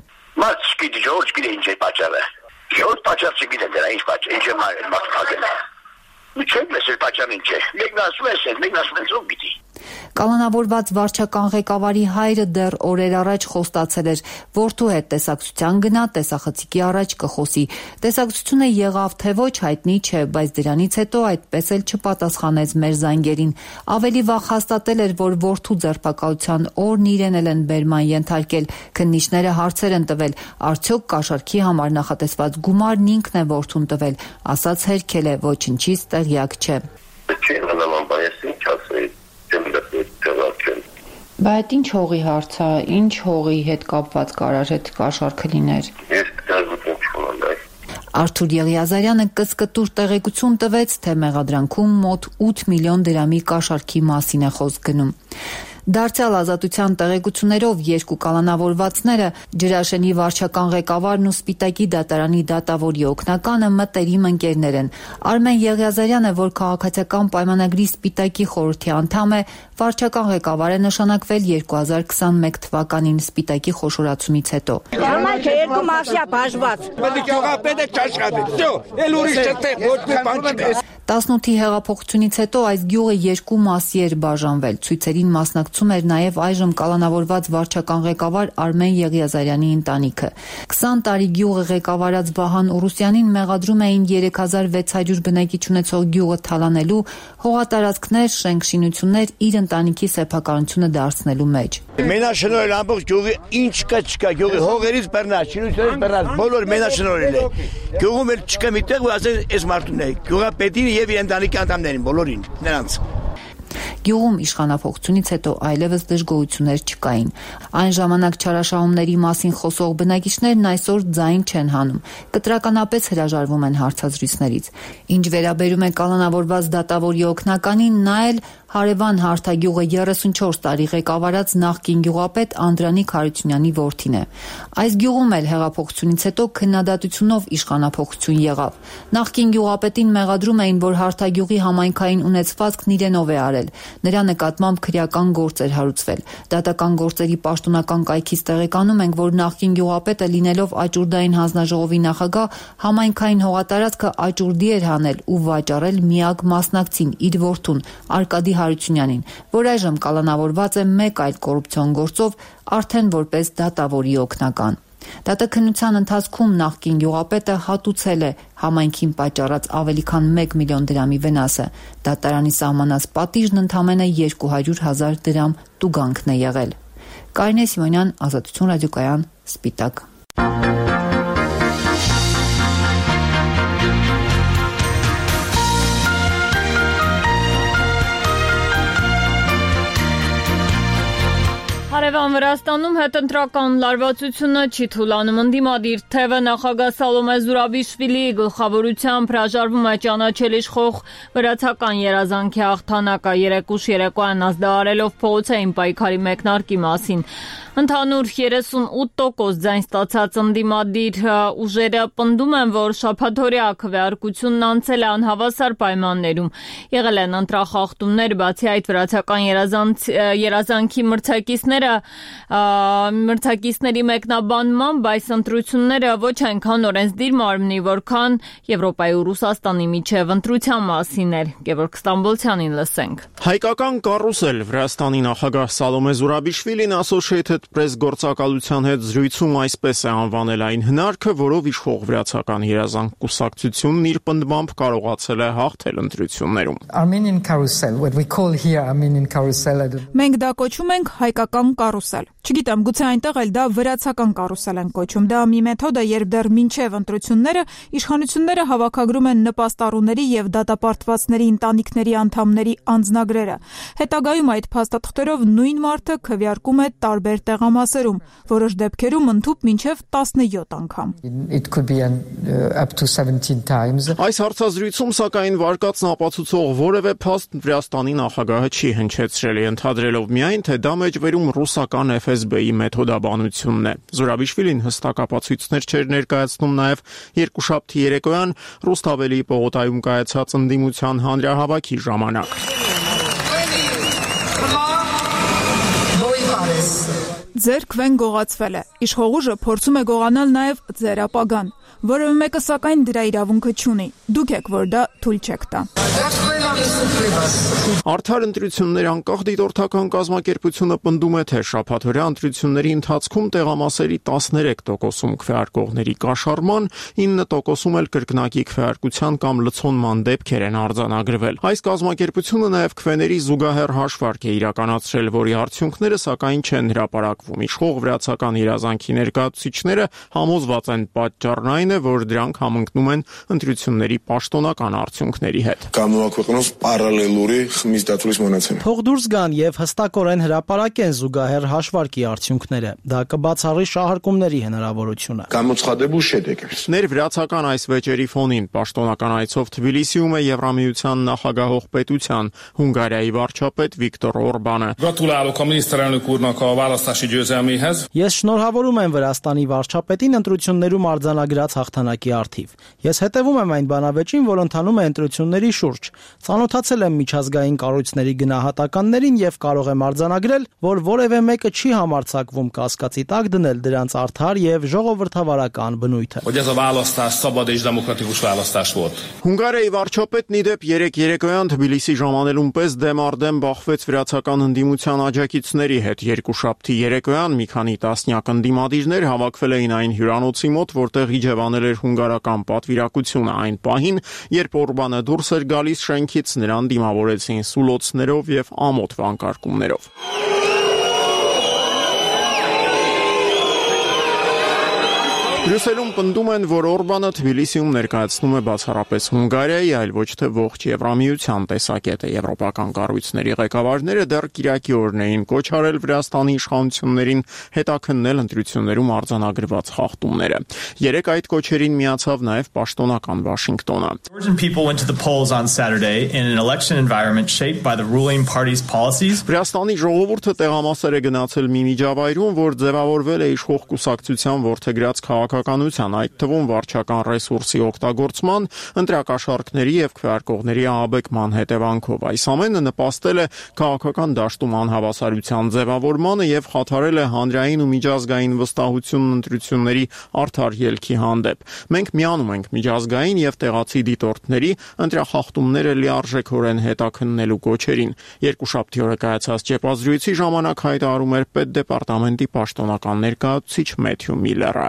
Մարդ չգիտի, ժողովուրդ չգիտի ինչ է պատճառը։ Ժողովուրդ պատճառ չգիտի դրա ինչ պատճառ, ինչ է մարդկագել։ Մի չեք լսել պատճառը ինչ է։ Մեկն ասում է, մեկն ասում է ով գիտի։ Կալանավորված վարչական ղեկավարի հայրը դեռ օրեր առաջ խոստացել էր, որդու հետ տեսակցության գնա, տեսախցիկի առաջ կխոսի։ Տեսակցությունը եղավ թե ոչ հայտնի չէ, բայց դրանից հետո այդպես էլ չպատասխանեց մեր զանգերին։ Ավելի վաղ հաստատել էր, որ որդու ձերբակալության օրն իրեն էլ են բերման ենթարկել։ Քննիչները հարցեր են տվել, արդյոք կաշառքի համար նախատեսված գումարն ինքն է որդուն տվել, ասաց հերքել է, ոչնչից տեղյակ չէ։ Բայց ինչ հողի հարց է, ինչ հողի հետ կապված կարար այդ կաշառքը լիներ։ Արթուր Եղիազարյանը կսկտուր տեղեկություն տվեց, թե մեղադրանքում մոտ 8 միլիոն դրամի կաշառքի մասին է խոսք գնում։ Դարձյալ Ազատության տեղեկություններով երկու կալանավորվածները Ջրաշենի վարչական ղեկավարն ու Սպիտակի դատարանի դատավորի օգնականը մտերիմ ընկերներ են։ Արմեն Եղիազարյանը, որ քաղաքացիական պայմանագրի Սպիտակի խորհրդի անդամ է, վարչական ղեկավար է նշանակվել 2021 թվականին Սպիտակի խոշորացումից հետո։ Երկու մաֆիա բաժված։ 18-ի հեղափոխությունից հետո այս գյուղը երկու մասի էր բաժանվել։ Ցույցերին մասնակցում էր նաև այժմ կալանավորված վարչական ղեկավար Արմեն Եղիազարյանի ընտանիքը։ 20 տարի գյուղը ղեկավարած Վահան Ուրուսյանին մեղադրում էին 3600 բնակիչ ունեցող գյուղը թալանելու, հողատարածքներ, շենք-շինություններ իր ընտանիքի սեփականությունը դարձնելու մեջ։ Մենաշնորհել ամբողջ գյուղի ինչ կա չկա, գյուղի հողերից բռնած, շինությունից բռնած, բոլոր մենաշնորհել է։ Գյուղում էլ չկա միտեղ, ու ասել էս մարդուն է, գյուղապետին եւ ընտանիքի անդամներին, բոլորին, նրանց։ Գյուղում իշխանափոխությունից հետո այլևս դժգոհություններ չկային։ Այն ժամանակ չարաշահումների մասին խոսող բնակիչներն այսօր ձայն չեն հանում, կտրականապես հրաժարվում են հարցազրույցներից։ Ինչ վերաբերում է կալանավորված դատավորի օգնականին, նա էլ հարևան Հարթագյուղը 34 տարի ղեկավարած նախկին գյուղապետ Անդրանիկ Հարությունյանի որդին է։ Այս գյուղում էլ հեղափոխությունից հետո քննադատությունով իշխանափոխություն եղավ։ Նախկին գյուղապետին մեղադրում էին, որ Հարթագյուղի համայնքային ունեցվածքն իրենով է արել։ Նրա նկատմամբ քրեական գործ էր հարուցվել։ Դատական գործերի պաշտոնական կայքից տեղեկանում ենք, որ նախկին գյուղապետը լինելով Աճուրդային հանձնաժողովի նախագահ, համայնքային հողատարածքը Աճուրդի էր հանել ու վաճառել միակ մասնակցին իր որդուն Արկադի Հարությունյանին, որ այժմ կալանավորված է մեկ այլ կոռուպցիոն գործով, արդեն որպես դատավորի օգնական։ Դատաքննության ընթացքում նախկին գյուղապետը հատուցել է համայնքին պատճառած ավելի քան 1 միլիոն դրամի վնասը։ Դատարանի սահմանած պատիժն ընդամենը 200,000 դրամ տուգանքն է եղել։ Կարինե Սիմոնյան, Ազատություն ռադիոկայան, Սպիտակ։ Հարևան Վրաստանում հետընտրական լարվածությունը չի թուլանում։ Ընդդիմադիր թևը նախագահ Սալոմե Զուրաբիշվիլիի գլխավորությամբ հրաժարվում է ճանաչել իշխող վրացական երազանքի հաղթանակը, երեկուշ երեկոյան ազդարարելով փողոցային պայքարի մեկնարկի մասին։ Ընդհանուր 38% ձայն ստացած ընդդիմադիր ուժերը պնդում են, որ շաբաթօրյա քվեարկությունն անցել է անհավասար պայմաններում։ Եղել են ընտրախախտումներ, բացի այդ վրացական երազանքի մրցակիցների մեկնաբանմամբ այս ընտրությունները ոչ այնքան օրենսդիր մարմնի, որքան Եվրոպայի ու Ռուսաստանի միջև ընտրության մասին էր։ Գևորգ Ստամբոլցյանին լսենք։ Հայկական կարուսել Վրաստանի նախագահ Սալոմե Զուրաբիշվիլին Associated Press գործակալության հետ զրույցում այսպես է անվանել այն հնարքը, որով իշխող վրացական երազանք կուսակցությունն իր պնդմամբ կարողացել է հաղթել ընտրություններում։ Մենք դա կոչում ենք հայկական կարուսել։ Չգիտեմ, գուցե այնտեղ էլ դա վրացական կարուսել են կոչում։ Դա մի մեթոդ է, երբ դեռ մինչև ընտրությունները իշխանությունները հավաքագրում են նպաստառուների եւ դատապարտվածների ընտանիքների անդամների անձնագրերը։ Հետագայում այդ փաստաթղթերով նույն մարդը քվեարկում է տարբեր տեղամասերում, որոշ դեպքերում ընդհուպ մինչև 17 անգամ։ Այս հարցազրույցում սակայն վարկածն ապացուցող որևէ փաստ Վրաստանի նախագահը չի հնչեցրել, ընդհանրելով միայն, թե դա մեջբերում ռուսական FSB-ի մեթոդաբանությունն է։ Զուրաբիշվիլին հստակ ապացույցներ չէր ներկայացնում նաև երկուշաբթի երեկոյան Ռուսթավելի պողոտայում կայացած ընդդիմության հանրահավաքի ժամանակ։ Ձեր քվեն գողացվել է։ Իշխող ուժը փորձում է գողանալ նաև ձեր ապագան։ Որևէ մեկը սակայն դրա իրավունքը չունի։ Դուք եք, որ դա թույլ չեք տա։ Արդար ընտրություններ անկախ դիտորդական կազմակերպությունը պնդում է, թե շաբաթօրյա ընտրությունների ընթացքում տեղամասերի 13%-ում քվեարկողների կաշառման, 9%-ում էլ կրկնակի քվեարկության կամ լցոնման դեպքեր են արձանագրվել։ Այս կազմակերպությունը նաև քվեների զուգահեռ հաշվարկ է իրականացրել, որի արդյունքները սակայն չեն հրապարակվում։ Իշխող վրացական երազանքի ներկայացուցիչները համոզված են, պատճառն այն է, որ դրանք համընկնում են ընտրությունների պաշտոնական արդյունքների հետ։ Թող դուրս գան եւ հստակորեն հրապարակեն զուգահեռ հաշվարկի արդյունքները։ Դա կբացառի շահարկումների հնարավորությունը։ Ներվրացական այս վեճերի ֆոնին պաշտոնական այցով Թբիլիսիում է Եվրամիության նախագահող պետության Հունգարիայի վարչապետ Վիկտոր Օրբանը։ Ես շնորհավորում եմ Վրաստանի վարչապետին ընտրություններում արձանագրած հաղթանակի առթիվ։ Ես հետևում եմ այն բանավեճին, որ ընթանում է ընտրությունների շուրջ։ Ծանոթացել եմ միջազգային կառույցների գնահատականներին եւ կարող եմ արձանագրել, որ որևէ մեկը չի համարձակվում կասկածի տակ դնել դրանց արդար եւ ժողովրդավարական բնույթը։ Հունգարիայի վարչապետն իդեպ 3 երեկոյան Թբիլիսի ժամանելուն պես դեմ բախվեց վրացական ընդդիմության աջակիցների հետ։ Երկուշաբթի երեկոյան մի քանի տասնյակ ընդդիմադիրներ հավաքվել էին այն հյուրանոցի մոտ, որտեղ իջևանել էր հունգարական պատվիրակությունը այն պահին, երբ Օրբանը դուրս էր գալիս շենքից, նրան դիմավորեցին սուլոցներով եւ ամոթ վանկարկումներով։ Բրյուսելում պնդում են, որ Օրբանը Թբիլիսիում ներկայացնում է բացառապես Հունգարիայի, այլ ոչ թե ողջ Եվրամիության տեսակետը։ Եվրոպական կառույցների ղեկավարները դեռ կիրակի օրն էին կոչ արել Վրաստանի իշխանություններին հետաքննել ընտրություններում արձանագրված խախտումները։ Երեկ այդ կոչերին միացավ նաև պաշտոնական Վաշինգտոնը։ Վրաստանի ժողովուրդը տեղամասեր է գնացել մի միջավայրում, որ ձևավորվել է իշխող կուսակցության որդեգրած քաղաքականության, այդ թվում վարչական ռեսուրսի օգտագործման, ընտրակաշառքների եւ քվեարկողների ահաբեկման հետևանքով։ Այս ամենը նպաստել է քաղաքական դաշտում անհավասարության ձևավորմանը եւ խաթարել է հանրային ու միջազգային վստահությունն ընտրությունների արդար ելքի հանդեպ։ Մենք միանում ենք միջազգային եւ տեղացի դիտորդների ընտրախախտումները լիարժեքորեն հետաքննելու կոչերին։ Երկուշաբթի օրը կայացած ճեպազրույցի ժամանակ հայտարարում էր պետդեպարտամենտի պաշտոնական ներկայացուցիչ Մեթյու Միլլերը։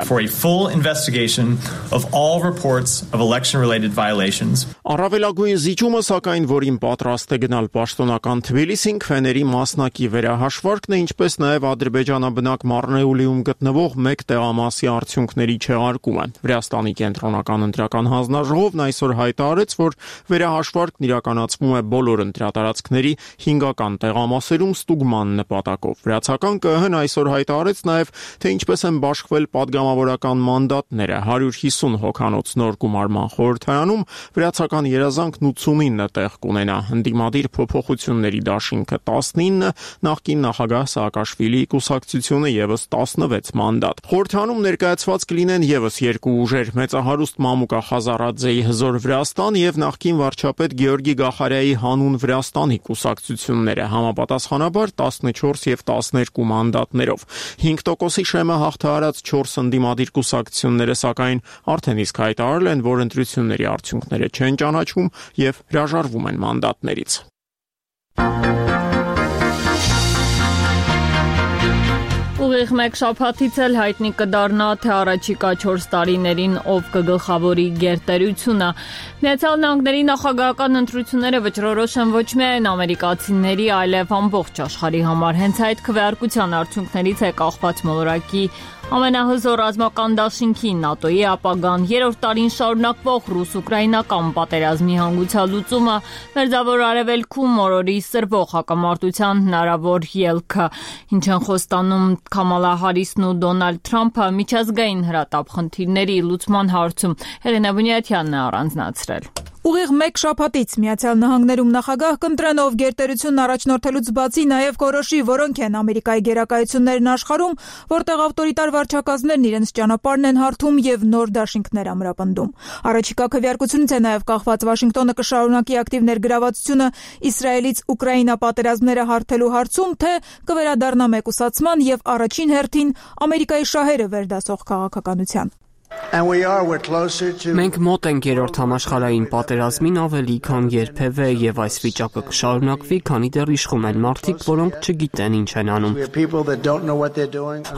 Full investigation of all reports of election-related violations. Առավելագույն զիջումը, սակայն, որին պատրաստ է գնալ պաշտոնական Թբիլիսին, քվեների մասնակի վերահաշվարկն է, ինչպես նաև ադրբեջանաբնակ Մարնեուլիում գտնվող մեկ տեղամասի արդյունքների չեղարկումը։ Վրաստանի կենտրոնական ընտրական հանձնաժողովն այսօր հայտարարեց, որ վերահաշվարկն իրականացվում է բոլոր ընտրատարածքների 5-ական տեղամասերում ստուգման նպատակով։ Վրացական ԿԸՀ-ն այսօր հայտարարեց նաև, թե ինչպես են բաշխվել պատգամավորական մանդատները 150 հոգանոց նոր գումարման խորհրդարանում վրացական երազանքն 89 տեղ կունենա, ընդդիմադիր փոփոխությունների դաշինքը 19, նախկին նախագահ Սաակաշվիլիի կուսակցությունը եւս 16 մանդատ։ Խորհրդարանում ներկայացված կլինեն եւս երկու ուժեր՝ մեծահարուստ Մամուկա Խազարաձեի Հզոր Վրաստան եւ նախկին վարչապետ Գեորգի Գախարյայի Հանուն Վրաստանի կուսակցությունները, համապատասխանաբար 14 եւ 12 մանդատներով։ 5%-ի շեմը հաղթահարած 4 ընդդիմադիր կուսակցությունները սակայն արդեն իսկ հայտարարել են, որ ընտրությունների արդյունքները չեն ճանաչում եւ հրաժարվում են մանդատներից։ Ուղիղ մեկ շաբաթից էլ հայտնի կդառնա, թե առաջիկա 4 տարիներին ով կգլխավորի գերտերությունը։ Միացյալ Նահանգների նախագահական ընտրությունները վճռորոշ են ոչ միայն ամերիկացիների, այլև ամբողջ աշխարհի համար։ Հենց այդ քվեարկության արդյունքներից է կախված մոլորակի ամենահզոր ռազմական դաշինքի ՆԱՏՕ-ի ապագան, 3-րդ տարին շարունակվող ռուս-ուկրաինական պատերազմի հանգուցալուծումը, Մերձավոր Արևելքում օրորի սրվող հակամարտության հնարավոր ելքը, ինչ են խոստանում Քամալա Հարիսն ու Դոնալդ Թրամփը միջազգային հրատապ խնդիրների լուծման հարցում։ Հելենա Բունյաթյանն է առանձնացրել։ Ուղիղ մեկ շաբաթից Միացյալ Նահանգներում նախագահ կընտրեն, ով գերտերությունն առաջնորդելուց բացի նաև կորոշի, որոնք են Ամերիկայի գերակայություններն աշխարհում, որտեղ ավտորիտար վարչակազմներն իրենց ճանապարհն են հարթում եւ նոր դաշինքներ ամրապնդում։ Առաջիկա քվեարկությունից է նաև կախված Վաշինգտոնը կշարունակի ակտիվ ներգրավվածությունը Իսրայելից Ուկրաինա պատերազմները հարթելու հարցում, թե կվերադառնա մեկուսացման եւ առաջին հերթին Ամերիկայի շահերը վերդասող քաղաքականության։ Մենք մոտ ենք 3-րդ համաշխարհային պատերազմին ավելի քան երբևէ եւ այս վիճակը կշարունակվի, քանի դեռ իշխում են մարդիկ, որոնք չգիտեն ինչ են անում։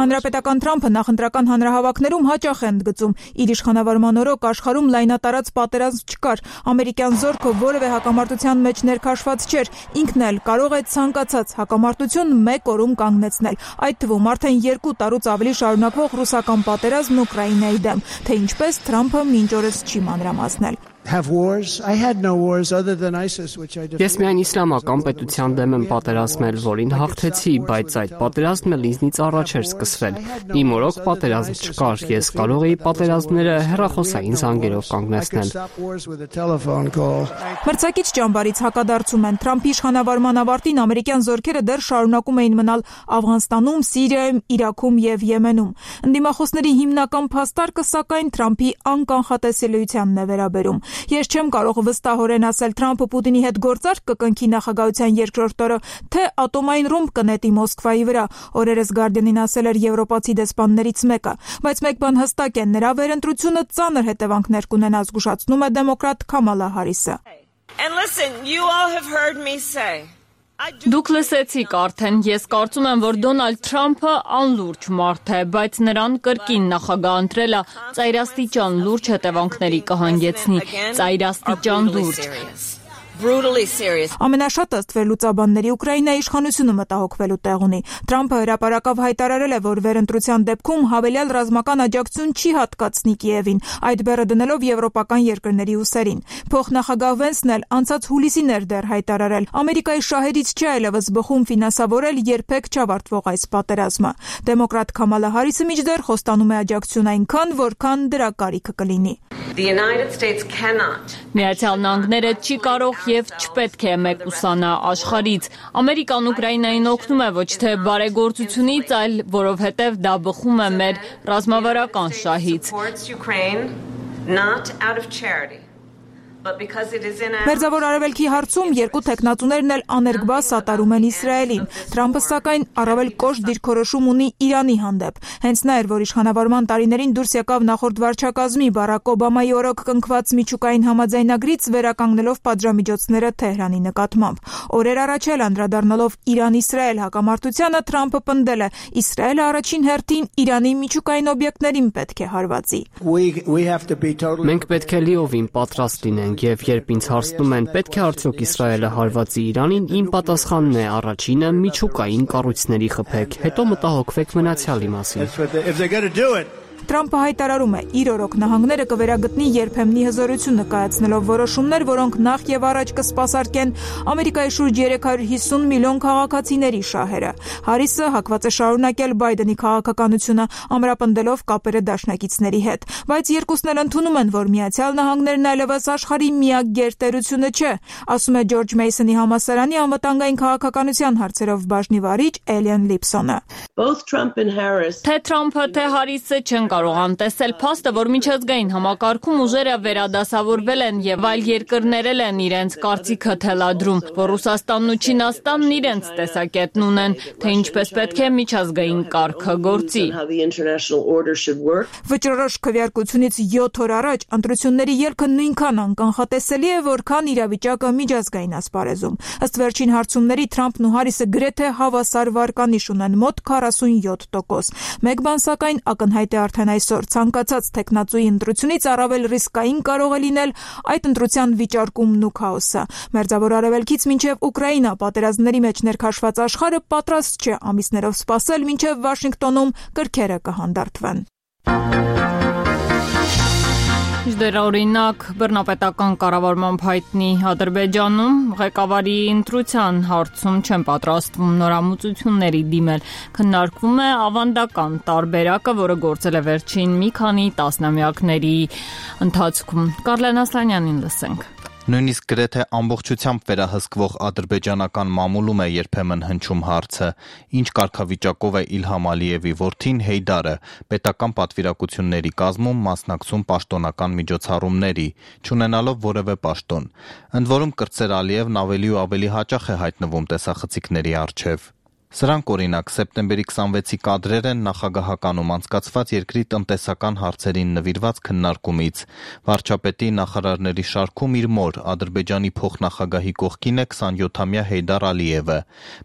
Հանրապետական Թրամփը նախընտրական հանրահավաքներում հաճախ է ընդգծում, իր իշխանավարման օրոք աշխարհում լայնատարած պատերազմ չկար, ամերիկյան զորքը որևէ հակամարտության մեջ ներքաշված չէր, ինքն էլ կարող է ցանկացած հակամարտություն մեկ օրում կանգնեցնել, այդ թվում արդեն 2 տարուց ավելի շարունակվող ռուսական պատերազմն Ուկրաինայի դեմ, թե ինչպես Թրամփը մինչ օրս չի մանրամասնել։ Ես միայն իսլամական պետության դեմ եմ պատերազմել, որին հաղթեցի, բայց այդ պատերազմն էլ ինձնից առաջ էր սկսվել։ Իմ օրոք պատերազմ չկար, ես կարող էի պատերազմները հեռախոսային զանգերով կանգնեցնել։ Մրցակից ճամբարից հակադարձում են Թրամփի իշխանավարման ավարտին ամերիկյան զորքերը դեռ շարունակում էին մնալ Աֆղանստանում, Սիրիայում, Իրաքում եւ Եմենում։ Ընդդիմախոսների հիմնական փաստարկը սակայն Թրամփի անկանխատեսելիությանն է վերաբերում։ Ես չեմ կարող վստահորեն ասել Թրամփը Պուտինի հետ գործարք կկնքի նախագահության երկրորդ օրը, թե ատոմային ռումբ կնետի Մոսկվայի վրա, օրերս Guardian-ին ասել էր եվրոպացի դեսպաններից մեկը, բայց մեկ բան հստակ է, նրա վերընտրությունը ծանր հետևանքներ կունենա, զգուշացնում է դեմոկրատ Քամալա Հարիսը։ Դուք լսեցիք արդեն, ես կարծում եմ, որ Դոնալդ Թրամփը անլուրջ մարդ է, բայց նրան կրկին նախագահ ընտրելը ծայրաստիճան լուրջ հետևանքների կհանգեցնի, ծայրաստիճան լուրջ։ Ամենաշատը ըստ վերլուծաբանների Ուկրաինայի իշխանությունը մտահոգվելու տեղ ունի։ Թրամփը հրապարակավ հայտարարել է, որ վերընտրության դեպքում հավելյալ ռազմական աջակցություն չի հատկացնի Կիևին, այդ բեռը դնելով եվրոպական երկրների ուսերին։ Փոխնախագահ Վենսն էլ անցած հուլիսին էր դեռ հայտարարել. Ամերիկայի շահերից չի այլևս բխում ֆինանսավորել երբեք չավարտվող այս պատերազմը։ Դեմոկրատ Քամալա Հարիսը մինչդեռ խոստանում է աջակցություն այնքան, որքան դրա կարիքը կլինի։ Միացյալ Նահանգները չի կարող եւ չպետք է մեկուսանա աշխարհից։ Ամերիկան Ուկրաինային օգնում է ոչ թե բարեգործությունից, այլ որովհետեւ դա բխում է մեր ռազմավարական շահից։ Մերձավոր Արևելքի հարցում երկու թեկնածուներն էլ աներկբա սատարում են Իսրայելին։ Թրամփը սակայն առավել կոշտ դիրքորոշում ունի Իրանի հանդեպ։ Հենց նա էր, որ իշխանավորման տարիներին դուրս եկավ նախորդ վարչակազմի Բարակ Օբամայի օրոք կնքված միջուկային համաձայնագրից վերականգնելով պատժամիջոցները Թեհրանի նկատմամբ։ Օրեր առաջ էլ անդրադառնալով Իրան-Իսրայել հակամարտությանը Թրամփը պնդել է. Իսրայելը առաջին հերթին Իրանի միջուկային օբյեկտներին պետք է հարվածի։ Մենք պետք է լիովին պատրաստ լինենք եւ երբ ինձ հարցնում են պետք է արդյոք Իսրայելը հարվածի Իրանին, իմ պատասխանն է առաջինը միջուկային կառույցների խփեք, հետո մտահոգվեք մնացյալի մասին։ Թրամփը հայտարարում է, իր օրոք նահանգները կվերագտնի երբեմնի հզորություն նկայացնելով որոշումներ, որոնք նախ եւ առաջ կսպասարկեն Ամերիկայի շուրջ 350 միլիոն քաղաքացիների շահերը։ Հարիսը հակված է շարունակել Բայդենի քաղաքականությունը, ամրապնդելով կապերը դաշնակիցների հետ, բայց երկուսն էլ ընդունում են, որ Միացյալ Նահանգներն այլևս աշխարհի միակ գերտերությունը չէ, ասում է Ջորջ Մեյսոնի համալսարանի անվտանգային քաղաքականության հարցերով բաժնի վարիչ Էլիան Լիփսոնը։ Թե Թրամփը, թե Հարիսը չեն կարող անտեսել փաստը, որ միջազգային համակարգում ուժերը վերադասավորվել են եւ այլ երկրներ են իրենց կարծիքը թելադրում, որ Ռուսաստանն ու Չինաստանն իրենց տեսակետն ունեն, թե ինչպես պետք է միջազգային կարգը գործի։ Վճռորոշ քվեարկությունից 7 օր առաջ ընտրությունների ելքը նույնքան անկանխատեսելի է, որքան իրավիճակը միջազգային ասպարեզում։ Ըստ վերջին հարցումների Թրամփն ու Հարիսը գրեթե հավասար վարկանիշ ունեն՝ մոտ 47%։ Մեկ բան սակայն ակնհայտ է արդեն այսօր, ցանկացած տեխնացուի ընտրությունից առավել ռիսկային կարող է լինել այդ ընտրության վիճարկումն ու քաոսը։ Մերձավոր Արևելքից մինչև Ուկրաինա պատերազմների մեջ ներքաշված աշխարհը պատրաստ չէ ամիսներով սպասել, մինչև Վաշինգտոնում կրքերը կհանդարտվեն։ Դեր օրինակ բռնապետական կառավարման հայտնի Ադրբեջանում ղեկավարի ընտրության հարցում չեն պատրաստվում նորամուծությունների դիմել, քննարկվում է ավանդական տարբերակը, որը գործել է վերջին մի քանի տասնամյակների ընթացքում։ Կարլեն Ասլանյանին լսենք։ Նույնիսկ գրեթե ամբողջությամբ վերահսկվող ադրբեջանական մամուլում է երբեմն հնչում հարցը. ինչ կարգավիճակով է Իլհամ Ալիևի որդին Հեյդարը, պետական պատվիրակությունների կազմում մասնակցում պաշտոնական միջոցառումների, չունենալով որևէ պաշտոն։ Ընդ որում կրտսեր Ալիևն ավելի ու ավելի հաճախ է հայտնվում տեսախցիկների առջև։ Սրանք օրինակ սեպտեմբերի 26-ի կադրեր են նախագահականում անցկացված երկրի տնտեսական հարցերին նվիրված քննարկումից։ Վարչապետի նախարարների շարքում իր մոր Ադրբեջանի փոխնախագահի կողքին է 27-ամյա Հեյդար Ալիևը։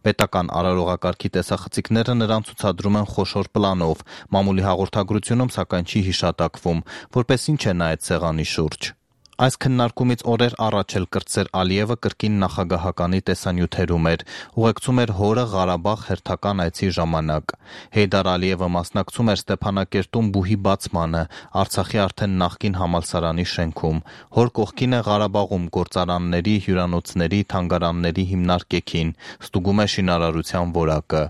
Պետական արարողակարգի տեսախցիկները նրան ցուցադրում են խոշոր պլանով, մամուլի հաղորդագրությունում սակայն չի հիշատակվում, որպես ինչ է նա այդ սեղանի շուրջ։ Այս քննարկումից օրեր առաջ էլ կրտսեր Ալիևը կրկին նախագահականի տեսանյութերում էր, ուղեկցում էր հորը Ղարաբաղ հերթական այցի ժամանակ։ Հեյդար Ալիևը մասնակցում էր Ստեփանակերտում բուհի բացմանը, Արցախի արդեն նախկին համալսարանի շենքում։ Հոր կողքին է Ղարաբաղում գործարանների, հյուրանոցների, թանգարանների հիմնարկեքին, ստուգում է շինարարության որակը։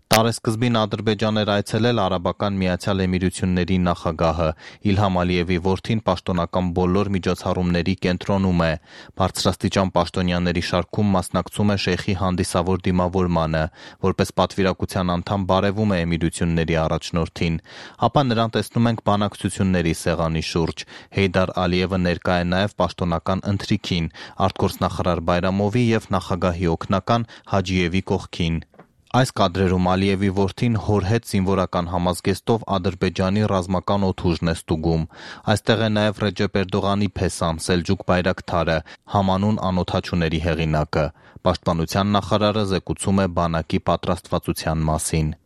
Տարեսկզբին Ադրբեջան էր այցելել Արաբական Միացյալ Էմիրությունների նախագահը։ Իլհամ Ալիևի որդին պաշտոնական բոլոր միջոցառումների կենտրոնում է։ Բարձրաստիճան պաշտոնյաների շարքում մասնակցում է շեյխի հանդիսավոր դիմավորմանը, որպես պատվիրակության անդամ բարևում է Էմիրությունների առաջնորդին։ Ապա նրան տեսնում ենք բանակցությունների սեղանի շուրջ։ Հեյդար Ալիևը ներկա է նաև պաշտոնական ընթրիքին, արտգործնախարար Բայրամովի եւ նախագահի օգնական Հաջիևի կողքին։ Այս կադրերում Ալիևի որդին հոր հետ զինվորական համազգեստով Ադրբեջանի ռազմական օդուժն է ստուգում։ Այստեղ է նաև Ռեջեփ Էրդողանի փեսան Սելջուկ Բայրակթարը, համանուն անօդաչուների հեղինակը։ Պաշտպանության նախարարը զեկուցում է բանակի պատրաստվածության մասին։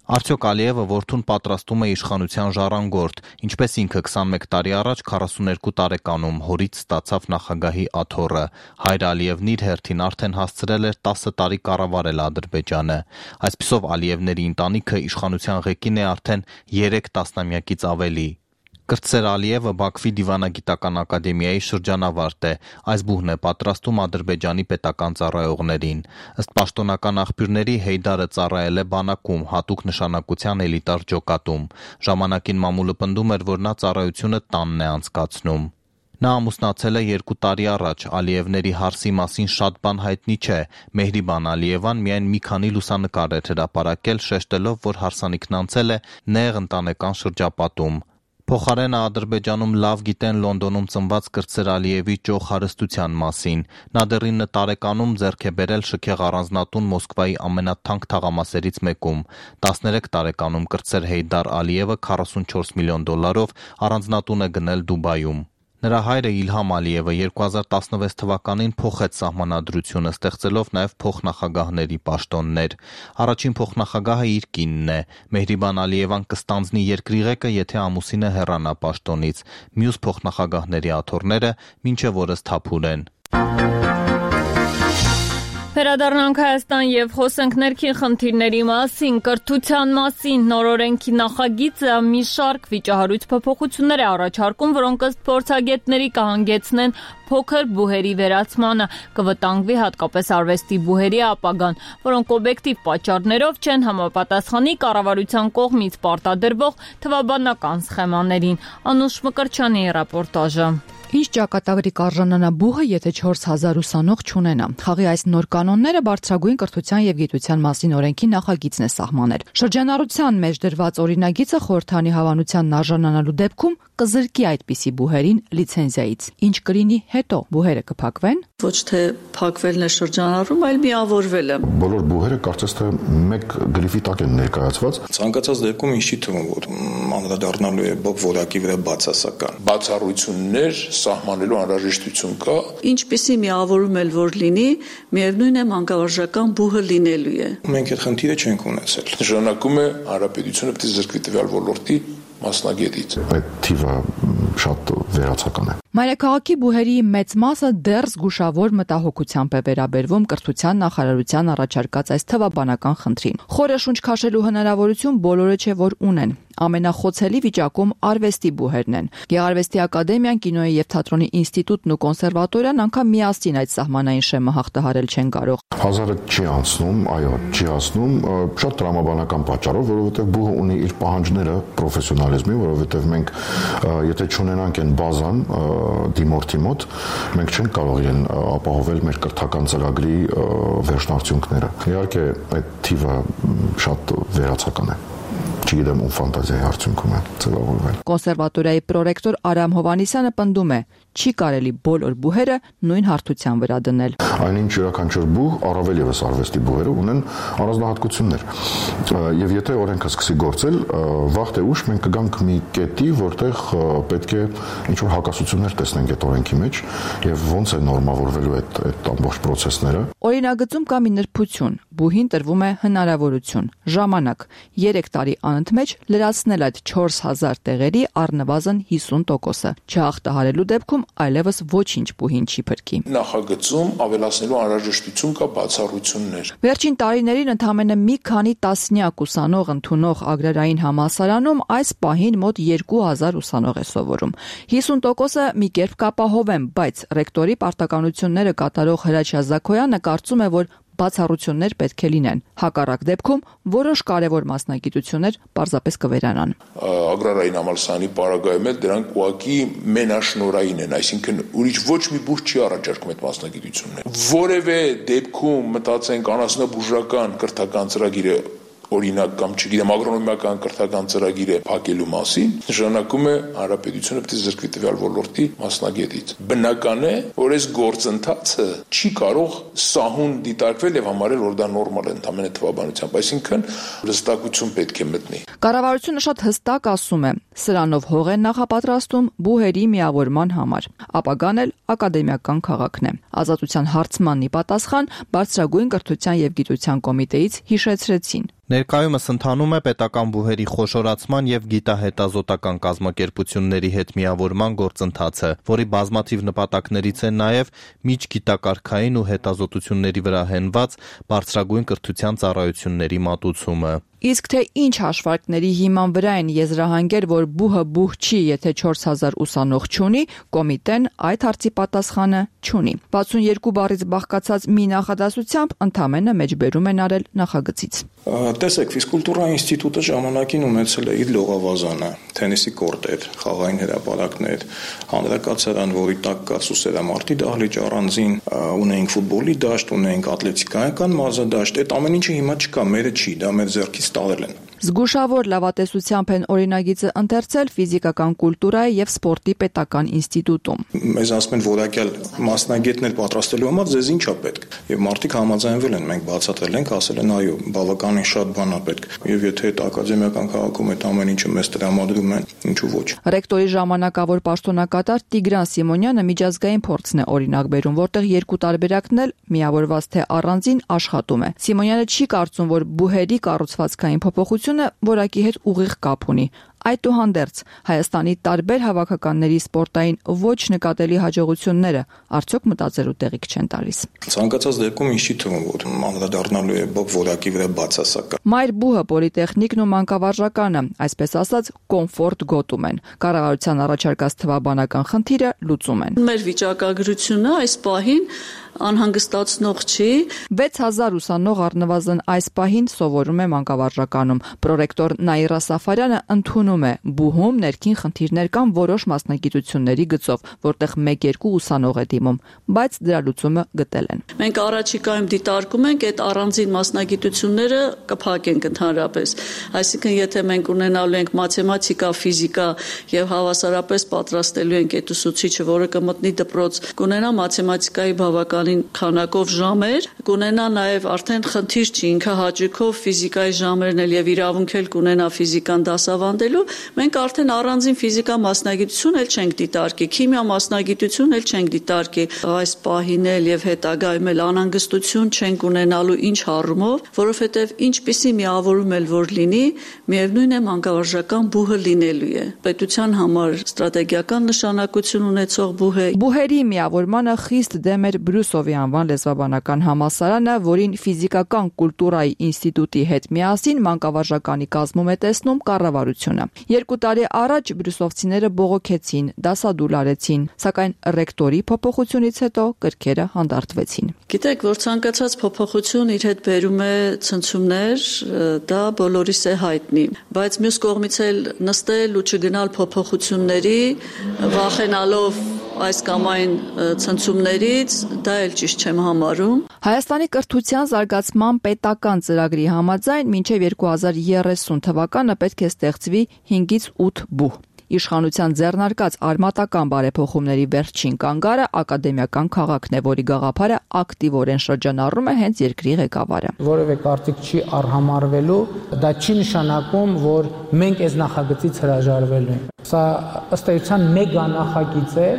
Արդյոք Ալիևը որդուն պատրաստում է իշխանության ժառանգորդ, ինչպես ինքը 21 տարի առաջ 42 տարեկանում հորից ստացավ նախագահի աթոռը։ Հայր Ալիևն իր հերթին արդեն հասցրել էր 10 տարի կառավարել Ադրբեջանը։ Այսպիսով Ալիևների ընտանիքը իշխանության ղեկին է արդեն 3 տասնամյակից ավելի։ Կրտսեր Ալիևը Բաքվի դիվանագիտական ակադեմիայի շրջանավարտ է։ Այս բուհն է պատրաստում Ադրբեջանի պետական ծառայողներին։ Ըստ պաշտոնական աղբյուրների Հեյդարը ծառայել է բանակում, հատուկ նշանակության էլիտար ջոկատում։ Ժամանակին մամուլը պնդում էր, որ նա ծառայությունը տանն է անցկացնում։ Նա ամուսնացել է 2 տարի առաջ, Ալիևների հարսի մասին շատ բան հայտնի չէ։ Մեհրիբան Ալիևան միայն մի քանի լուսանկար էր հրապարակել, շեշտելով, որ հարսանիքն անցել է նեղ ընտանեկան շրջապատում։ Փոխարենը Ադրբեջանում լավ գիտեն Լոնդոնում ծնված Կրտսեր Ալիևի ճոխ հարստության մասին։ Նա դեռ 9 տարեկանում ձեռք է բերել շքեղ առանձնատուն Մոսկվայի ամենաթանկ թաղամասերից մեկում։ 13 տարեկանում Կրտսեր Հեյդար Ալիևը 44 միլիոն դոլարով առանձնատուն է գնել Դուբայում։ Նրա հայրը Իլհամ Ալիևը 2016 թվականին փոխեց սահմանադրությունը, ստեղծելով նաև փոխնախագահների պաշտոններ։ Առաջին փոխնախագահը իր կինն է։ Մեհրիբան Ալիևան կստանձնի երկրի ղեկը, եթե ամուսինը հեռանա պաշտոնից։ Մյուս փոխնախագահների աթոռները մինչև օրս թափուր են։ Վերադառնանք Հայաստան եւ խոսենք ներքին խնդիրների մասին, կրթության մասին։ Նոր օրենքի նախագիծը մի շարք վիճահարույց փոփոխություններ է առաջարկում, որոնք ըստ փորձագետների կհանգեցնեն փոքր բուհերի վերացմանը, կվտանգվի հատկապես արվեստի բուհերի ապագան, որոնք օբյեկտիվ պատճառներով չեն համապատասխանի կառավարության կողմից պարտադրվող թվաբանական սխեմաներին։ Անուշ Մկրտչյանի ռեպորտաժը։ Ինչ ճակատագրի կարժանանա բուհը, եթե 4000 ուսանող չունենա։ Խաղի այս նոր կանոնները բարձրագույն կրթության եւ գիտության մասին օրենքի նախագիծն է սահմանել։ Շրջանառության մեջ դրված օրինագիծը խորհրդանի հավանությանն արժանանալու դեպքում կզրկի այդպիսի բուհերին լիցենզիայից։ Ինչ կլինի հետո, բուհերը կփակվեն։ Ոչ թե փակվելն է շրջանառում, այլ միավորվելը։ Բոլոր բուհերը կարծես թե մեկ գրիֆի տակ են ներկայացված։ Ցանկացած դեպքում ինչ չի թվում, որ անդրադառնալու է որակի վրա բացասական բացառություններ սահմանելու անհրաժեշտություն կա։ Ինչպիսի միավորում էլ որ լինի, միևնույն է մանկավարժական բուհը լինելու է։ Մենք այդ խնդիրը չենք ունեցել։ Նշանակում է հանրապետությունը պետք է զրկվի տվյալ ոլորտի մասնագետից։ Այդ թիվը շատ վերացական է։ Մայրաքաղաքի բուհերի մեծ մասը դեռ զգուշավոր մտահոգությամբ է վերաբերվում կրթության նախարարության առաջարկած այս թվաբանական խնդրին։ Խորը շունչ քաշելու հնարավորություն բոլորը չէ որ ունեն։ Ամենախոցելի վիճակում արվեստի բուհերն են։ Գեղարվեստի ակադեմիան, կինոյի եւ թատրոնի ինստիտուտն ու կոնսերվատորիան անգամ միասին այդ սահմանային շեմը հաղթահարել չեն կարող։ 1000-ը չի անցնում, այո, չի անցնում, շատ տրամաբանական պատճառով, որովհետեւ բուհը ունի իր պահանջները պրոֆեսիոնալիզմի, որովհետեւ մենք եթե չունենանք այն բազան դիմորդի մոտ, մենք չենք կարող իրեն ապահովել մեր կրթական ծրագրի վերջնարդյունքները։ Իհարկե, այդ թիվը շատ վերացական է։ Չգիտեմ ում ֆանտազիայի արդյունքում է ձևավորվել։ Կոնսերվատորիայի պրոռեկտոր Արամ Հովանիսյանը պնդում է, չի կարելի բոլոր բուհերը նույն հարթության վրա դնել։ Այնինչ յուրաքանչյուր բուհ, առավել եւս արվեստի բուհերը ունեն առանձնահատկություններ։ Եվ եթե օրենքը սկսի գործել, վաղ թե ուշ մենք կգանք մի կետի, որտեղ պետք է ինչ-որ հակասություններ տեսնենք այդ օրենքի մեջ եւ ոնց է նորմավորվելու այդ ամբողջ process-ները։ Օրինագծում կա մի նրբություն, բուհին տրվում է հնարավորություն, ժամանակ 3 տարի անընդմեջ լրացնել այդ 4000 տեղերի առնվազն 50%-ը։ Չհաղթահարելու դեպքում այլևս ոչինչ բուհին չի փրկի։ Նախագծում ավելացնելու անհրաժեշտություն կա բացառություններ։ Վերջին տարիներին ընդամենը մի քանի տասնյակ ուսանող ընդունող Ագրարային համալսարանում այս պահին մոտ 2000 ուսանող է սովորում։ 50%-ը մի կերպ կապահովեն, բայց ռեկտորի պարտականությունները կատարող Հրաչյա Զաքոյանը կարծում է, որ բացառություններ պետք է լինեն։ Հակառակ դեպքում որոշ կարևոր մասնագիտություններ պարզապես կվերանան։ Ագրարային համալսարանի պարագայում էլ դրանք ուղղակի մենաշնորային են, այսինքն ուրիշ ոչ մի բուժ չի առաջարկում այդ մասնագիտությունները։ Որևէ դեպքում մտածենք անասնաբուժական կրթական ծրագիրը օրինակ կամ չգիտեմ ագրոնոմիական կրթական ծրագիրը փակելու մասին, նշանակում է հանրապետությունը պետք է զրկվի տվյալ ոլորտի մասնագետից։ Բնական է, որ այս գործընթացը չի կարող սահուն դիտարկվել եւ համարել, որ դա նորմալ է ընդհանրապես թվաբանությամբ, այսինքն հստակություն պետք է մտնի։ Կառավարությունը շատ հստակ ասում է, սրանով հող են նախապատրաստում բուհերի միավորման համար։ Ապագան էլ ակադեմիական քաղաքն է։ Ազատության հարցմանն ի պատասխան Բարձրագույն կրթության եւ գիտության կոմիտեից հիշեցրեցին։ Ներկայումս ընթանում է պետական բուհերի խոշորացման եւ գիտահետազոտական կազմակերպությունների հետ միավորման գործընթացը, որի բազմաթիվ նպատակներից է նաեւ միջգիտակարգային ու հետազոտությունների վրա հենված բարձրագույն կրթության ծառայությունների մատուցումը։ Իսկ թե ինչ հաշվարկների հիման վրա են եզրահանգեր, որ բուհը բուհ չի, եթե 4000 ուսանող չունի, կոմիտեն այդ հարցի պատասխանը չունի։ 62 բառից բաղկացած մի նախադասությամբ ընդամենը մեջբերում են արել նախագծից։ Տեսեք, ֆիզկուլտուրա ինստիտուտը ժամանակին ունեցել է իր լողավազանը, թենիսի կորտեր, խաղային հրապարակներ, հանրակացարան, որի տակ կա սուսերամարտի դահլիճ առանձին, ունեինք ֆուտբոլի դաշտ, ունեինք ատլետիկայական մարզադաշտ, այդ ամեն ինչը հիմա չկա, մերը չի, դա մեր ձեռքից տարել են։ Զգուշավոր լավատեսությամբ են օրինագիծը ընթերցել ֆիզիկական կուլտուրայի եւ սպորտի պետական ինստիտուտում։ Մեզ ասում են որակյալ մասնագետներ պատրաստելու համար ձեզ ինչ է պետք։ Եվ մարդիկ համաձայնվել են, մենք բացատրել ենք, ասել են այո, բավականին շատ բան է պետք։ Եվ եթե այդ ակադեմիական քաղաքում այդ ամեն ինչը մեզ տրամադրում են, ինչու ոչ։ Ռեկտորի ժամանակավոր պաշտոնակատար Տիգրան Սիմոնյանը միջազգային փորձն է օրինակ բերում, որտեղ երկու տարբերակն էլ միավորված թե առանձին աշխատում է։ Սիմոնյանը չի կարծում, որ բուհերի կառուցվածքային փոփոխությունը որակի հետ ուղիղ կապ ունի։ Այդուհանդերձ Հայաստանի տարբեր հավաքականների սպորտային ոչ նկատելի հաջողությունները արդյոք մտածելու տեղիք չեն տալիս։ Ցանկացած դեպքում ինչ չի թվում, որ անդրադառնալու է որակի վրա բացասական։ Մայր բուհը, պոլիտեխնիկն ու մանկավարժականը, այսպես ասած, կոմֆորտ գոտում են։ Կառավարության առաջարկած թվաբանական խնդիրը լուծում են։ Մեր վիճակագրությունը այս պահին անհանգստացնող չի։ 6000 ուսանող առնվազն այս պահին սովորում է մանկավարժականում։ Պրոռեկտոր Նաիրա Սաֆարյանը ընդունում է, բուհում ներքին խնդիրներ կան որոշ մասնագիտությունների գծով, որտեղ 1-2 ուսանող է դիմում, բայց դրա լուծումը գտել են։ Մենք առաջիկայում դիտարկում ենք այդ առանձին մասնագիտությունները կփակենք ընդհանրապես։ Այսինքն, եթե մենք ունենալու ենք մաթեմատիկա, ֆիզիկա եւ հավասարապես պատրաստելու ենք այդ ուսուցիչը, որը կմտնի դպրոց, կունենա մաթեմատիկայի բավականին քանակով ժամեր, կունենա նաև արդեն խնդիր չի, ինքը հաճույքով ֆիզիկայի ժամերն էլ եւ իրավունք էլ կունենա ֆիզիկան դասավանդելու, մենք արդեն առանձին ֆիզիկա մասնագիտություն էլ չենք դիտարկի, քիմիա մասնագիտություն էլ չենք դիտարկի, այս պահին էլ եւ հետագայում էլ անհանգստություն չենք ունենալու ինչ առումով, որովհետեւ ինչպիսի միավորում էլ որ լինի, միևնույն է մանկավարժական բուհը լինելու է։ Պետության համար ստրատեգիական նշանակություն ունեցող բուհ է։ Բուհերի միավորմանը խիստ դեմ էր Բրյուսովի անվան լեզվաբանական համալսարանը, որին ֆիզիկական կուլտուրայի ինստիտուտի հետ միասին մանկավարժականի կազմում է տեսնում կառավարությունը։ 2 տարի առաջ բրյուսովցիները բողոքեցին, դասադուլ արեցին, սակայն ռեկտորի փոփոխությունից հետո կրքերը հանդարտվեցին։ Գիտեք, որ ցանկացած փոփոխություն իր հետ բերում է ցնցումներ, դա բոլորիս է հայտնի, բայց մյուս կողմից էլ նստել ու չգնալ փոփոխությունների, վախենալով այս կամ այն ցնցումներից, դա էլ ճիշտ չեմ համարում։ Հայաստանի կրթության զարգացման պետական ծրագրի համաձայն մինչև 2030 թվականը պետք է ստեղծվի 5-ից 8 բուհ։ Իշխանության ձեռնարկած արմատական բարեփոխումների վերջին կանգառը ակադեմիական քաղաքն է, որի գաղափարը ակտիվորեն շրջանառում է հենց երկրի ղեկավարը։ Որևէ կարծիք չի արհամարվելու, դա չի նշանակում, որ մենք այս նախագծից հրաժարվելու ենք։ Սա ըստ էության մեգա նախագիծ է,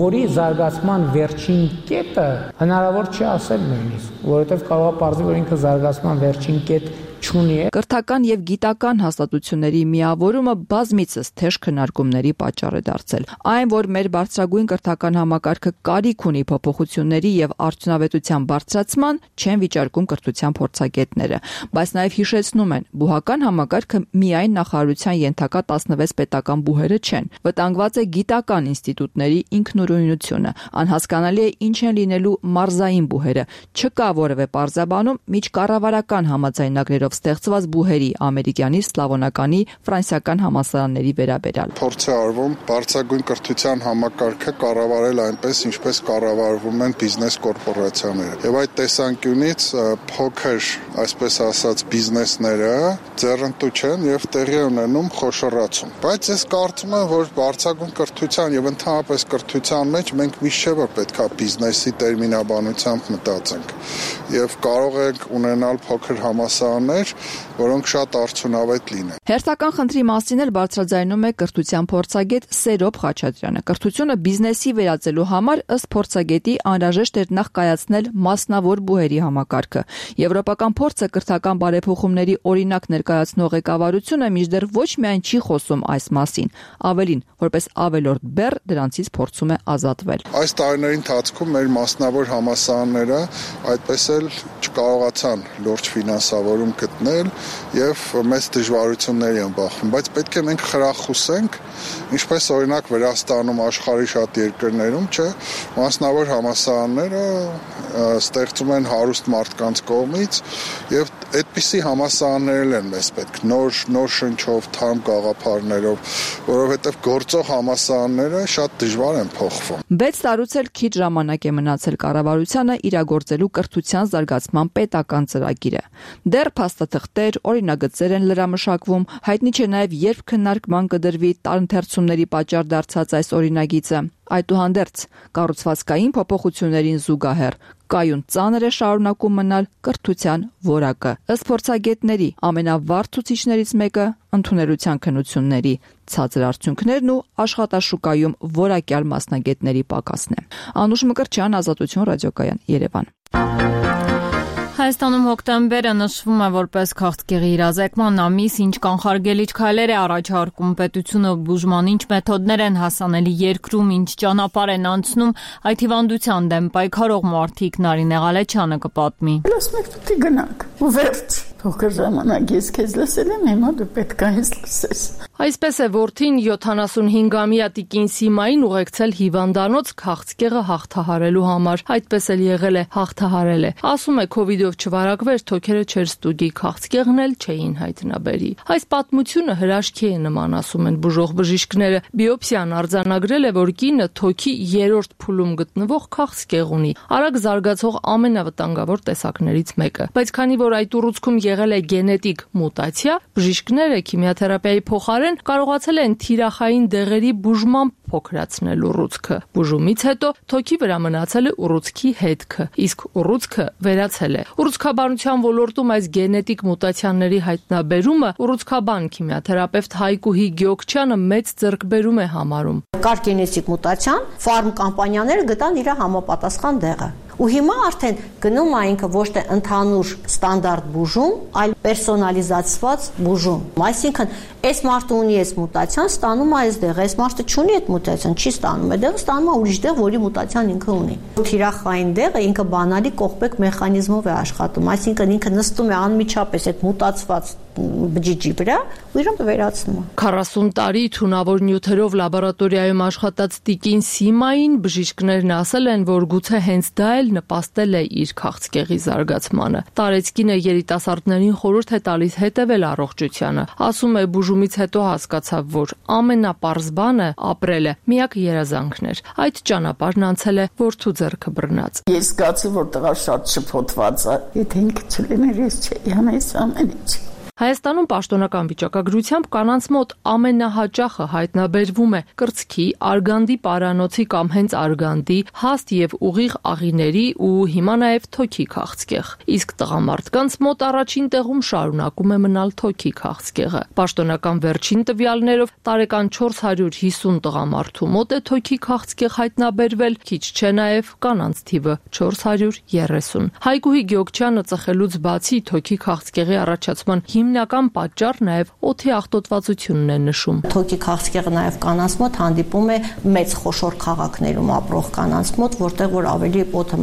որի զարգացման վերջին կետը հնարավոր չի ասել նույնիսկ, որովհետև կարող է պարզվել, որ ինքը զարգացման վերջին կետ չունի։ Կրթական եւ գիտական հաստատությունների միավորումը բազմիցս թեժ քննարկումների պատճառ է դարձել։ Այն, որ մեր բարձրագույն կրթական համակարգը կարիք ունի փոփոխությունների եւ արդյունավետության բարձրացման, չեն վիճարկում կրթության փորձագետները, բայց նաեւ հիշեցնում են, բուհական համակարգը միայն նախարարության ենթակա 16 պետական բուհերը չեն։ Վտանգված է գիտական ինստիտուտների ինքնուրույնությունը, անհասկանալի է ինչ են լինելու մարզային բուհերը, չկա որևէ պարզաբանում միջկառավարական համաձայնագրերով ստեղծված բուհերի ամերիկյանի, սլավոնականի, ֆրանսիական համալսարանների վերաբերյալ։ Փորձ է արվում բարձրագույն կրթության համակարգը կառավարել այնպես, ինչպես կառավարվում են բիզնես կորպորացիաները։ Եվ այդ տեսանկյունից փոքր, այսպես ասած, բիզնեսները ձեռնտու չեն եւ տեղի ունենում խոշորացում։ Բայց ես կարծում եմ, որ բարձրագույն կրթության եւ ընդհանրապես կրթության մեջ մենք միշտ չէ որ պետքա բիզնեսի տերմինաբանությամբ մտածենք։ Եվ կարող ենք ունենալ փոքր համալսարաններ, որոնք շատ արդյունավետ լինեն։ Հերթական խնդրի մասին էլ բարձրաձայնում է կրթության փորձագետ Սերոբ Խաչատրյանը։ Կրթությունը բիզնեսի վերածելու համար ըստ փորձագետի անհրաժեշտ էր նախ կայացնել մասնավոր բուհերի համակարգը։ Եվրոպական փորձը կրթական բարեփոխումների օրինակ ներկայացնող ղեկավարությունը մինչդեռ ոչ միայն չի խոսում այս մասին, ավելին, որպես ավելորդ բեռ դրանցից փորձում է ազատվել։ Այս տարիների ընթացքում մեր մասնավոր համալսարանները այդպես էլ չկարողացան լուրջ ֆինանսավորում գտնել եւ մեծ դժվարությունների են բախվում, բայց պետք է մենք խրախուսենք, ինչպես օրինակ Վրաստանում, աշխարհի շատ երկրներում, չէ, մասնավոր համալսարանները ստեղծում են հարուստ մարդկանց կողմից եւ այդպիսի համալսարաններ են մեզ պետք, նոր շնչով, թարմ գաղափարներով, որովհետեւ գործող համալսարանները շատ դժվար են փոխվում։ 6 տարուց էլ քիչ ժամանակ է մնացել կառավարությանը իրագործելու կրթության զարգացման պետական ծրագիրը։ Դեռ փաստաթղթեր, օրինագծեր են լրամշակվում, հայտնի չէ նաև երբ քննարկման կդրվի տարընթերցումների պատճառ դարձած այս օրինագիծը։ Այդուհանդերձ կառուցվածքային փոփոխություններին զուգահեռ կայուն ծանր է շարունակում մնալ կրթության որակը։ Ըստ փորձագետների ամենավառ ցուցիչներից մեկը ընդունելության քննությունների ցածր արդյունքներն ու աշխատաշուկայում որակյալ մասնագետների պակասն է։ Անուշ Մկրտչյան, Ազատություն, ռադիոկայան, Երևան։ Հայաստանում հոկտեմբերը նշվում է որպես քաղցկեղի իրազեկման ամիս, ինչ կանխարգելիչ քայլեր է առաջարկում պետությունը, բուժման ինչ մեթոդներ են հասանելի երկրում, ինչ ճանապարհ են անցնում, այդ հիվանդության դեմ պայքարող մարդիկ Նարինե Ղալեչյանը կպատմի։ Ասում եք դու գնաք, ու վերջ։ Փոքր ժամանակ ես քեզ լսել եմ, հիմա դու պետք է ինձ լսես։ Այսպես է որդին 75-ամյա տիկին Սիմային ուղեկցել հիվանդանոց քաղցկեղը հաղթահարելու համար։ Այդպես էլ եղել է, հաղթահարել է։ Ասում է քովիդով չվարակվեր, թոքերը չէր ստուգի, քաղցկեղն էլ չէին հայտնաբերի։ Այս պատմությունը հրաշքի է նման, ասում են բուժող բժիշկները։ Բիոպսիան արձանագրել է, որ կինը թոքի 3-րդ փուլում գտնվող քաղցկեղ ունի, արագ զարգացող ամենավտանգավոր տեսակներից մեկը։ Բայց քանի որ այդ ուռուցքում եղել է գենետիկ մուտացիա, բժիշկները քիմիոթերապիայի փոխարեն կարողացել են թիրախային դեղերի բուժմամբ փոքրացնել ուռուցքը։ Բուժումից հետո թոքի վրա մնացել է ուռուցքի հետքը, իսկ ուռուցքը վերացել է։ Ուռուցքաբանության ոլորտում այս գենետիկ մուտացիաների հայտնաբերումը ուռուցքաբան քիմիոթերապևտ Հայկուհի Գյոքչյանը մեծ ձեռքբերում է համարում։ Կար գենետիկ մուտացիան, ֆարմ կամպանիաները գտան իր համապատասխան դեղը։ Ու հիմա արդեն գնում է ինքը ոչ թե ընդհանուր ստանդարտ բուժում, այլ պերսոնալիզացված բուժում։ Այսինքն, այս մարդը ունի այս մուտացիան, ստանում է այս դեղը, այս մարդը չունի այդ մուտացիան, չի ստանում այդ դեղը, ստանում է ուրիշ դեղ, որի մուտացիան ինքը ունի։ Թիրախային դեղը ինքը բանալի կողպեք մեխանիզմով է աշխատում, այսինքն ինքը նստում է անմիջապես այդ մուտացված բջիջի վրա ու իրեն վերացնում է։ 40 տարի թունավոր նյութերով լաբորատորիայում աշխատած տիկին Սիմային բժիշկներն ասել են, որ գուցե հենց դա էլ նպաստել է իր քաղցկեղի զարգացմանը։ Տարեցկինը երիտասարդներին խորհուրդ է տալիս հետևել առողջությանը։ Ասում է բուժումից հետո հասկացավ, որ ամենապարզ բանը ապրելը միակ երազանքն էր։ Այդ ճանապարհն անցել է որդու ձեռքը բռնած։ Ես զգացի, որ տղա շատ շփոթված է։ Եթե ինքը չլիներ, ես չէի անես ամեն ինչ։ Հայաստանում պաշտոնական վիճակագրությամբ կանանց մոտ ամենահաճախը հայտնաբերվում է կրծքի, արգանդի պարանոցի կամ հենց արգանդի, հաստ եւ ուղիղ աղիների ու հիմա նաեւ թոքի քաղցկեղ։ Իսկ տղամարդկանց մոտ առաջին տեղում շարունակում է մնալ թոքի քաղցկեղը։ Պաշտոնական վերջին տվյալներով տարեկան 450 տղամարդու մոտ է թոքի քաղցկեղ հայտնաբերվել, քիչ չէ նաեւ կանանց թիվը 430։ Հայգուհի Գյոքչյանը ծխելուց բացի թոքի քաղցկեղի առաջացման հիմնական պատճառ նաև օդի աղտոտվածությունն է նշում։ Թոքի քաղցկեղը նաև կանանց մոտ հանդիպում է մեծ խոշոր քաղաքներում ապրող կանանց մոտ, որտեղ որ ավելի օդը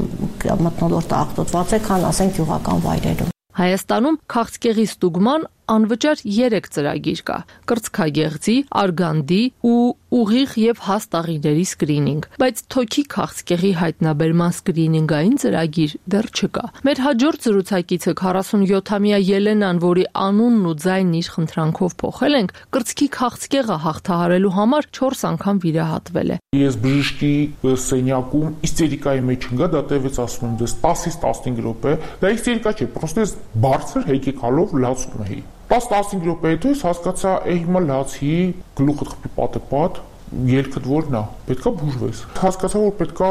մթնոլորտը աղտոտված է, քան ասենք գյուղական վայրերում։ Հայաստանում քաղցկեղի ստուգման անվճար 3 ծրագիր կա՝ կրծքագեղձի, արգանդի ու ուղիղ եւ հաստ աղիների սկրինինգ, բայց թոքի քաղցկեղի հայտնաբերման սկրինինգային ծրագիր դեռ չկա։ Մեր հաջորդ զրուցակիցը 47-ամյա Ելենան, որի անունն ու ձայնն իր խնդրանքով փոխել ենք, կրծքի քաղցկեղը հաղթահարելու համար 4 անգամ վիրահատվել է։ Ես բժշկի սենյակում իստերիկայի մեջ ընկա, դա տևեց ասում եմ դες 10-ից 15 րոպե, դա իստերիկա չէ, պրոստես բարձր հեկեկալով լացում էի։ 10-15 րոպե հետո ես հասկացա, հիմա լացի, գլուխդ խփի պատեպատ, ելքդ որն է, պետքա բուժվես։ Հասկացա, որ պետքա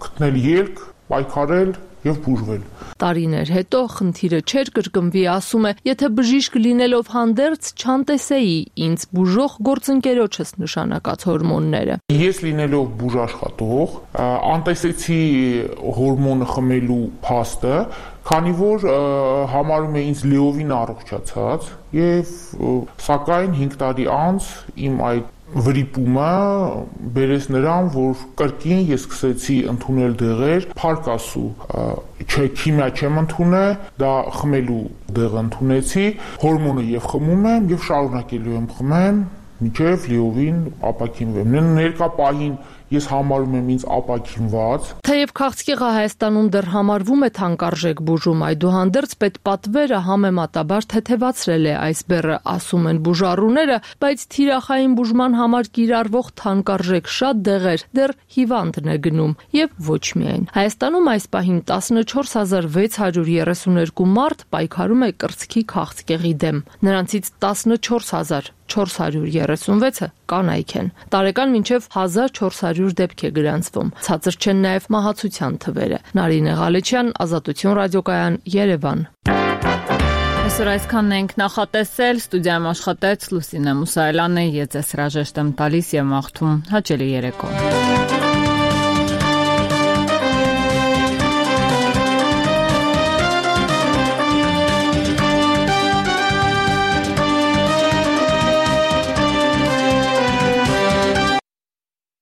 գտնել ելք, պայքարել եւ բուժվել։ Տարիներ հետո խնդիրը չէր կրկնվի, ասում է, եթե բժիշկ լինելով հանդերձ չանտեսեի ինձ բուժող գործընկերոջս նշանակած հորմոնները։ Ես լինելով բուժաշխատող, անտեսեցի հորմոնը խմելու փաստը, քանի որ համարում է ինձ լիովին առողջացած եւ սակայն 5 տարի անց իմ այդ վրիպումը բերեց նրան, որ կրկին ես սկսեցի ընդունել դեղեր, փարկասու, չէ քիմիա չեմ ընդունել, դա խմելու դեղ ընդունեցի, հորմոնը եւ խմում եմ եւ շարունակելու եմ խմեմ, մինչեւ լիովին ապակինվեմ։ Ներկա պահին ես համարում եմ ինձ ապակինված։ Թեև քաղցկեղը Հայաստանում դեռ համարվում է թանկարժեք բուժում, այդուհանդերձ պետպատվերը համեմատաբար թեթևացրել է այս բեռը, ասում են բուժառուները, բայց թիրախային բուժման համար կիրառվող թանկարժեք շատ դեղեր դեռ հիվանդն է գնում եւ ոչ միայն։ Հայաստանում այս պահին 14632 մարդ պայքարում է կրծքի քաղցկեղի դեմ։ Նրանցից 14436-ը կանայք են։ Տարեկան մինչև 1400 դեպք է գրանցվում։ Ցածր չեն նաև մահացության թվերը։ Նարինե Ղալեչյան, Ազատություն ռադիոկայան, Երևան։ Այսօր այսքանն ենք նախատեսել, ստուդիայում աշխատեց Լուսինե Մուսայելյանը, ես հրաժեշտ եմ տալիս եւ մաղթում հաճելի երեկո։